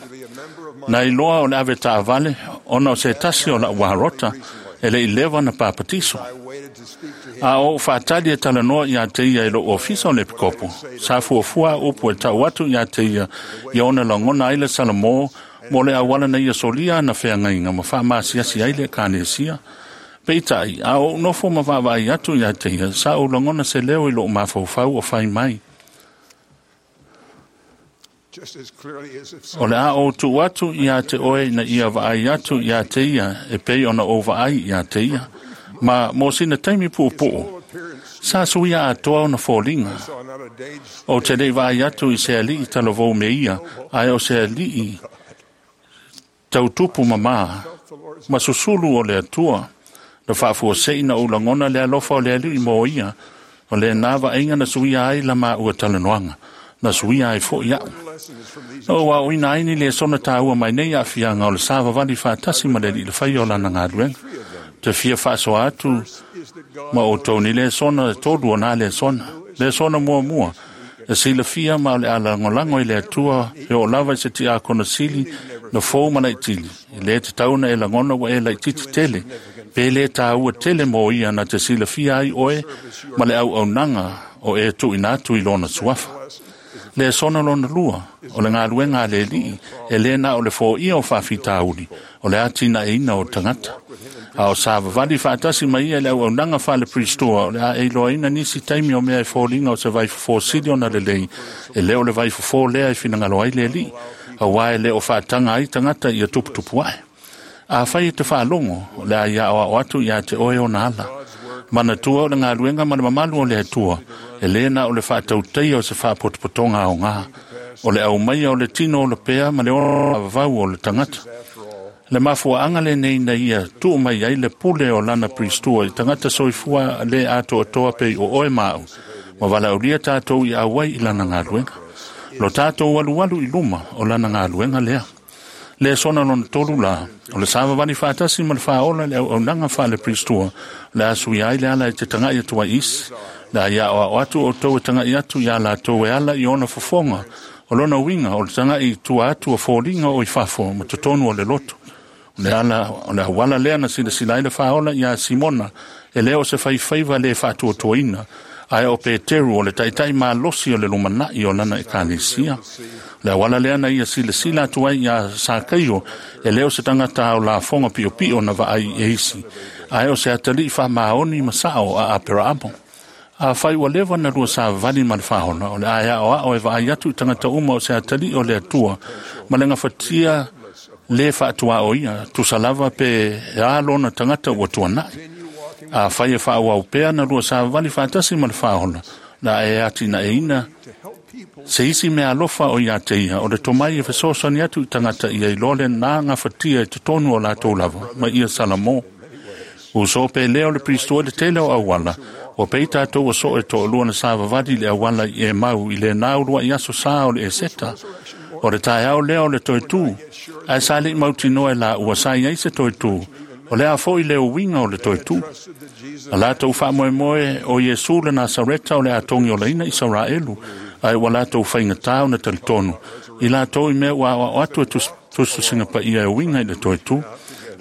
Na iloa o le ave taavale ona o se tasi o lau warota e le i leva na papatiso. A ou faatali e talanoa ia te ia i lou ofisa o le epikopo, sa fuafua upu e tau atu ia te ia, ia ona lagona ai le Salamo mo le auala na ia solia ana feagaiga ma faamasiasi ai le Ekalesia. Peitai, a ou nofo ma vaavaai atu ia te ia, sa ou lagona se leo i lou mafaufau o fai mai. O le a ou tuu atu ia te oe ina ia vaai atu ia te ia e pei ona ou vaai ia te ia. Ma mo sina taimi puupuu, sa suia atoa ona foliga. Ou te le i vaai atu i se alii talavou me ia, ae o se alii tautupu mamā ma susulu o le Atua. Na faafuasei na ou lagona le alofa o le Alii mo ia, o lenā vaaiga na suia ai la maua talanoaga, na suia ai foi a'u. Na ou aoina ai ni lesona taua mai nei aafiaga o le savavali faatasi ma le Alii i le faia o lana galuega. Ou te fia faasoa atu ma outou ni lesona e tolu o nā lesona. Lesona muamua, e silafia ma o le a lagolago i le Atua e oo lava i se tiakono sili na fou ma laitili. E lē tatau ona e lagona ua e laititi tele, pe lē taua tele mo ia na te silafia ai oe ma le auaunaga o e tuuina atu i lona suafa. Lesona lona lua, o le galuega a le Alii e lē na o le foia o faafitauli, o le atinaeina o tagata. A o savavali faatasi ma ia i le auaunaga faale-Peristua, o le a e iloaina nisi taimi o mea e foliga o se vaifofo sili ona lelei, e le o le vaifofo lea e finagalo ai le Alii, auā e le o faataga ai tagata ia tuputupu ae. Afai e te faalogo, o le a ia aoao atu ia te oe ona ala. Manatua o le galuega ma le mamalu o le Atua, e lē na o le faatautaia o se faapotopotoga aogā, o le aumaia o le tino ola pea ma le ola vavau o le tagata. Le mafuaaga lenei na ia tuu mai ai le pule o lana Peristua i tagata soifua lē atoatoa pei o oe ma au, ma valaaulia tatou i auai i lana galuega. Lo tatou alualu i luma o lana galuega lea. Lesona lona tolu la, o le savavali faatasi ma le faaola i le auaunaga faale-Peristua, o le a suia ai le ala e te taga'i atu ai isi. O le a ia aoao atu outou e taga'i atu iā latou e ala i ona fofoga O lona uiga o le taga'i tua atu o foliga o i fafo ma totonu o le loto. O le ala o le auala lea na silasila ai le faaola iā Simona e lē o se faifaiva lē faatuatuaina ae o Peteru o le taʻitaʻi malosi o le lumanaʻi o lana ekalesia. Le auala lea na ia silasila atu ai iā Sakaio e lē o se tagata ao lafoga piʻopiʻo na vaai e isi ae o se ataliʻi faamaoni ma saʻo a Aperaamo. Afai ua leva na lua savali ma le faaola o le ae aʻoaʻo e vaai atu i tagata uma o se ataliʻi o le Atua ma le gafatia lē faatuaʻo ia tusa lava pe a lona tagata ua tuanaʻi. Afai e faaauau pea na lua savali faatasi ma le faaola la e atinaeina se isi mea alofa o iā te ia o le tomai e fesoasoani atu i tagata ia i loa lenā gafatia i totonu o latou lava ma ia Salamo. Uso pe lea o le Pristoa le tele o auala ua pei tatou ua so'o e to'alua na savavali i le auala i e mau i lenā ulua'i aso sā o le Eseta. O le taeao lea o le toe tū ae sa le'i mautinoa e laua sa i ai se toe tū o le a fo'i le uiga o le toe tū. A latou faamoemoe o Iesu le Nasareta o le atogi olaina Isaraelu ae ua latou faigatā ona talitonu i latou i mea ua aoao atu e tusitusiga paia e uiga i le toe tū.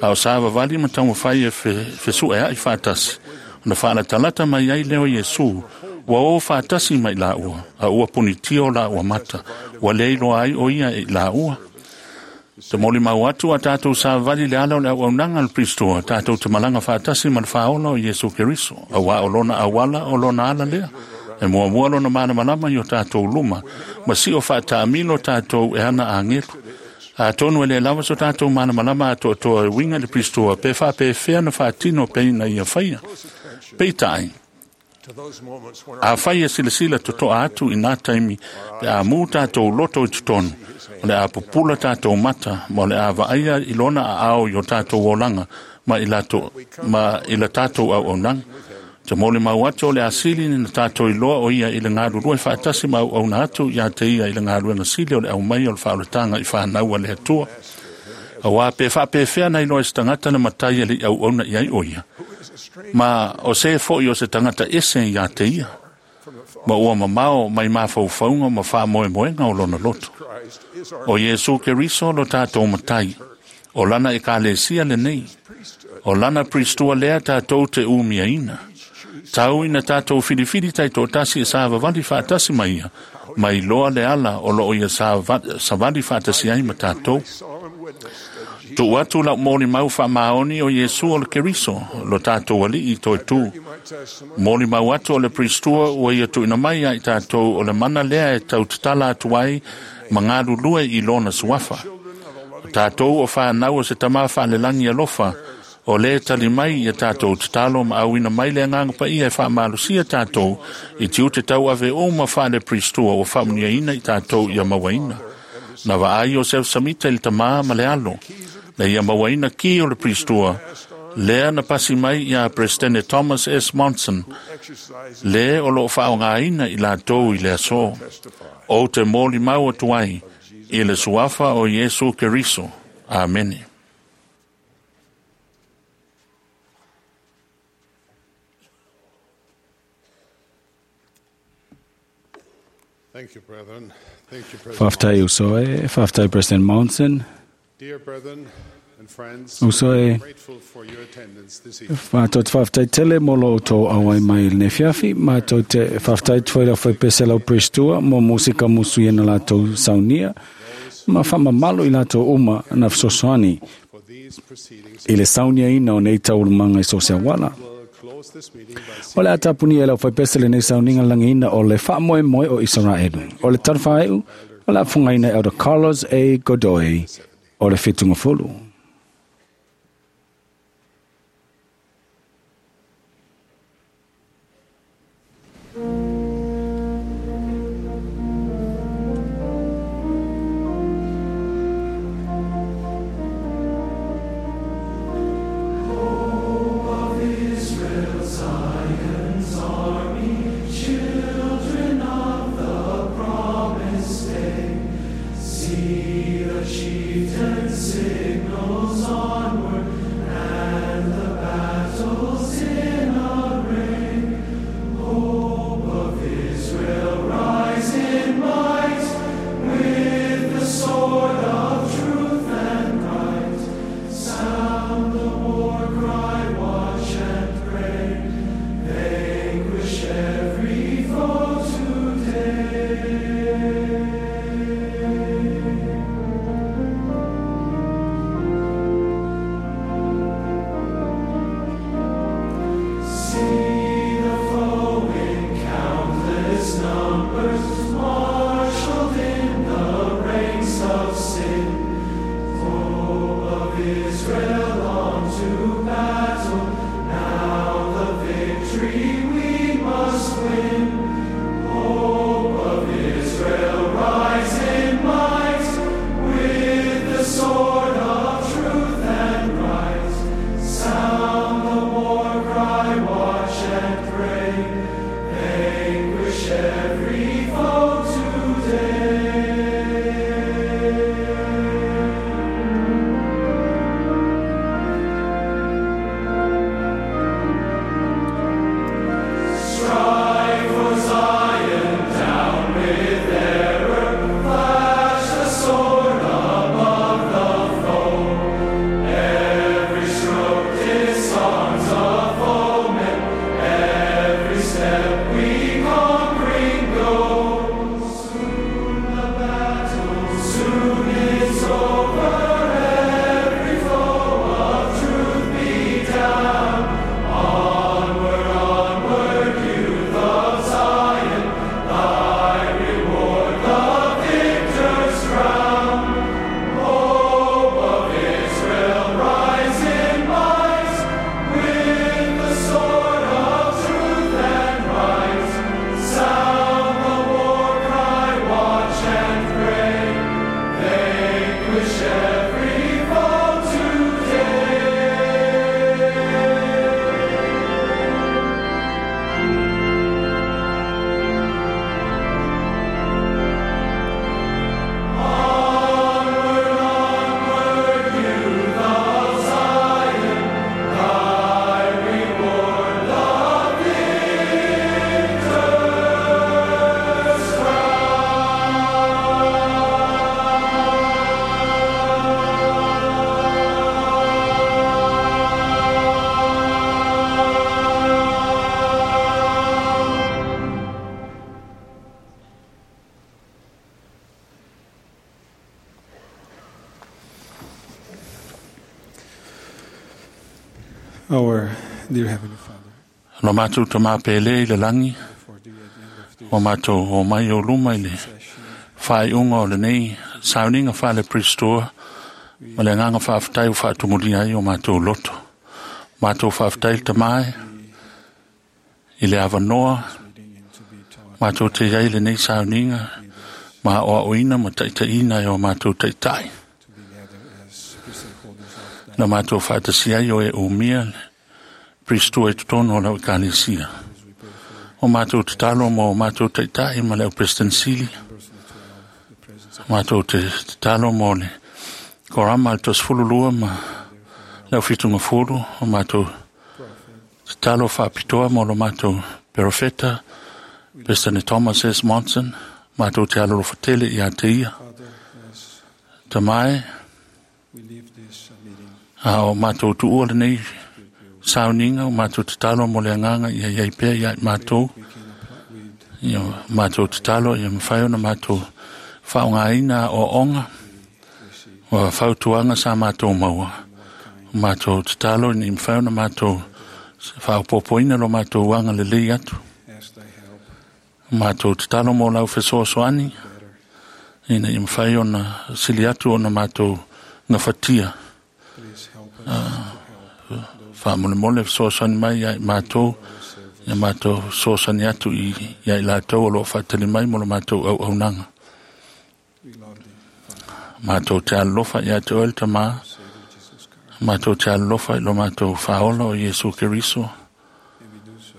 A o savavali ma taumafai e fesuʻeaʻi faatasi ona faalatalata mai ai lea o Iesu ua o faatasi mai laua a ua punitia o laua mata ua lē iloa ai o ia e i laua. Te molimau atu a tatou savavali le ala o le auaunaga a le Pristoa tatou te malaga faatasi ma le faaola o Iesu Keriso auā o lona auala o lona ala lea e muamua lona malamalama i o tatou luma ma siʻo faataamilo tatou e ana agelu. Atonu e lē lava so tatou malamalama atoatoa e uiga i le Pristoa pe faapefea na faatino peina ia faia. Peitaʻi afai e silasila totoa atu i nā taimi pe a mū tatou loto i totonu o le a pupula tatou mata ma o le a vaaia i lona aao i o tatou olaga ma i latou ma i la tatou auaunaga. Te molimau atu o le asili na tatou iloa o ia i le galulue faatasi ma auauna atu iā te ia i le galuega sili o le aumai o le faaolataga i fanau a le Atua. Auā pe faapefea na iloa e se tagata le matai e leʻi auauna i ai o ia ma o se foʻi o se tagata ese iā te ia ma ua mamao mai mafaufauga ma faamoemoega o lona loto. O Iesu Keriso lo tatou matai o lana ekalesia lenei o lana Pristoa lea tatou te umiaina. Tau ina tatou filifili taitoatasi e savavali faatasi ma ia ma iloa le ala o loo ia savali faatasi ai ma tatou. Tuu atu lau molimau faamaoni o Iesu o le Keriso lo tatou aliʻi toe tū. Molimau atu o le Pristoa ua ia tuuina mai ai tatou o le mana lea e tautatala atu ai ma galulue i lona suafa. O tatou o fanau o se tamā faalelagi alofa o lē tali mai ia tatou tatalo ma auina mai le agaga paia e faamalosia tatou i tiute tauave uma faale Pristoa ua faamuniaina i tatou ia mauaina. Na vaai Iosef Samita i le tamā ma le alo na ia mauaina ki o le Pristoa lea na pasi mai iā Presidente Thomas S. Monson lē o loo faaaogāina i latou i le asō. Ou te molimau atu ai i le suafa o Iesu Keriso. Amene. Thank you, brethren. Thank you, President. Faafetai uso e, faafetai President Monson. Dear brethren and friends, Uso we e are grateful for your attendance this evening. Mātou te faafetai tele mo lo outou auai mai i lenei afiafi. Mātou te faafetai te whaila whai pese lau Prestua mo musika musu ia na latou saunia. Ma whamamalo i latou uma na fesoasoani For these proceedings, i le saunia ina o nei taualumaga i so se auala. we'll close this meeting by O le a tapunia e lau whaipese lenei sauniga lagiina o le faamoemoe o Isaraelu. O le tanafaai'u, o le afogaina e Elder Carlos A. Godoy o le 70. See the chieftain signal. Numbers, marshaled in the ranks of sin. Hope of Israel, on to battle, now the victory we must win. Hope of Israel, rise in might, with the sword of truth and right. Sound the war cry, watch and pray, vanquish every foe today. Strive for Zion, down with error, flash the sword above the foe. Every stroke disarms a foeman, every step we conquering go. Soon the battle, soon is over, every foe of truth be down. Onward, onward, youth of Zion, thy reward, the victor's crown. Hope of Israel, rise in might, with the sword of truth and right. Sound the war cry, watch and pray, vanquish every foe today. Onward, onward, youth of Zion, thy reward, the victor's Our dear Heavenly Father, Lo mātou ta māpele i le langi, for thee at the end of this o mātou o mai o luma i le session, whaiunga o le nei, sauninga whale pristoa, ma le nganga whaaftai o whaatumulia ai o mātou loto. Mātou whaaftai le tamae, i le avanoa, meeting and to be taught mātou te iai le nei sauninga, ma o oina ma taitaiina e o mātou taitai. to be gathered as priesthood holders of Na that mātou whaatasi ai o e umia, pristoa i totono o lau ikalesia. as we pray for O mātou te talo mo o mātou taitai ma leo President Sili. members of the 12, the presence of Mātou te talo mo le korama al tos fululua ma leo fitunga fulu. O mātou prophet, te talo whaapitoa mo lo mātou perofeta, President Thomas S. Monson. Mātou te aloro fatele i a te ia. Father, as Te mai, we leave this meeting, a o mātou tuua le nei Spirit will sauninga, o mātou te talo mo le anganga i ai pea i ai mātou. we can apply with Ia mātou te talo, ia mwhai ona mātou whaongaina o onga, receive o whautuanga sa mātou maua. more kind Mātou te talo, ni mwhai ona mātou whaopopoina lo mātou wanga le lei atu. ask thy help Mātou te talo mō lau whesoasoani, better. ina i mwhai ona sili atu ona mātou ngawhatia. Please help us to help those Whamolemole whesoasoani mai ia i mātou, who are servants. ia mātou soasani atu i ia i lātou o lo whaatali mai mo lo mātou au aunanga. We love thee, Father, Mātou te alofa ia te oel ta mā, Savior Jesus Christ, mātou te alofa i lo mātou whaola o Yesu Keriso. and we do so.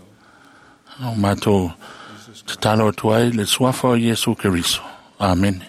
O mātou Jesus te talo atu ai le suafa o Yesu Keriso. Amen.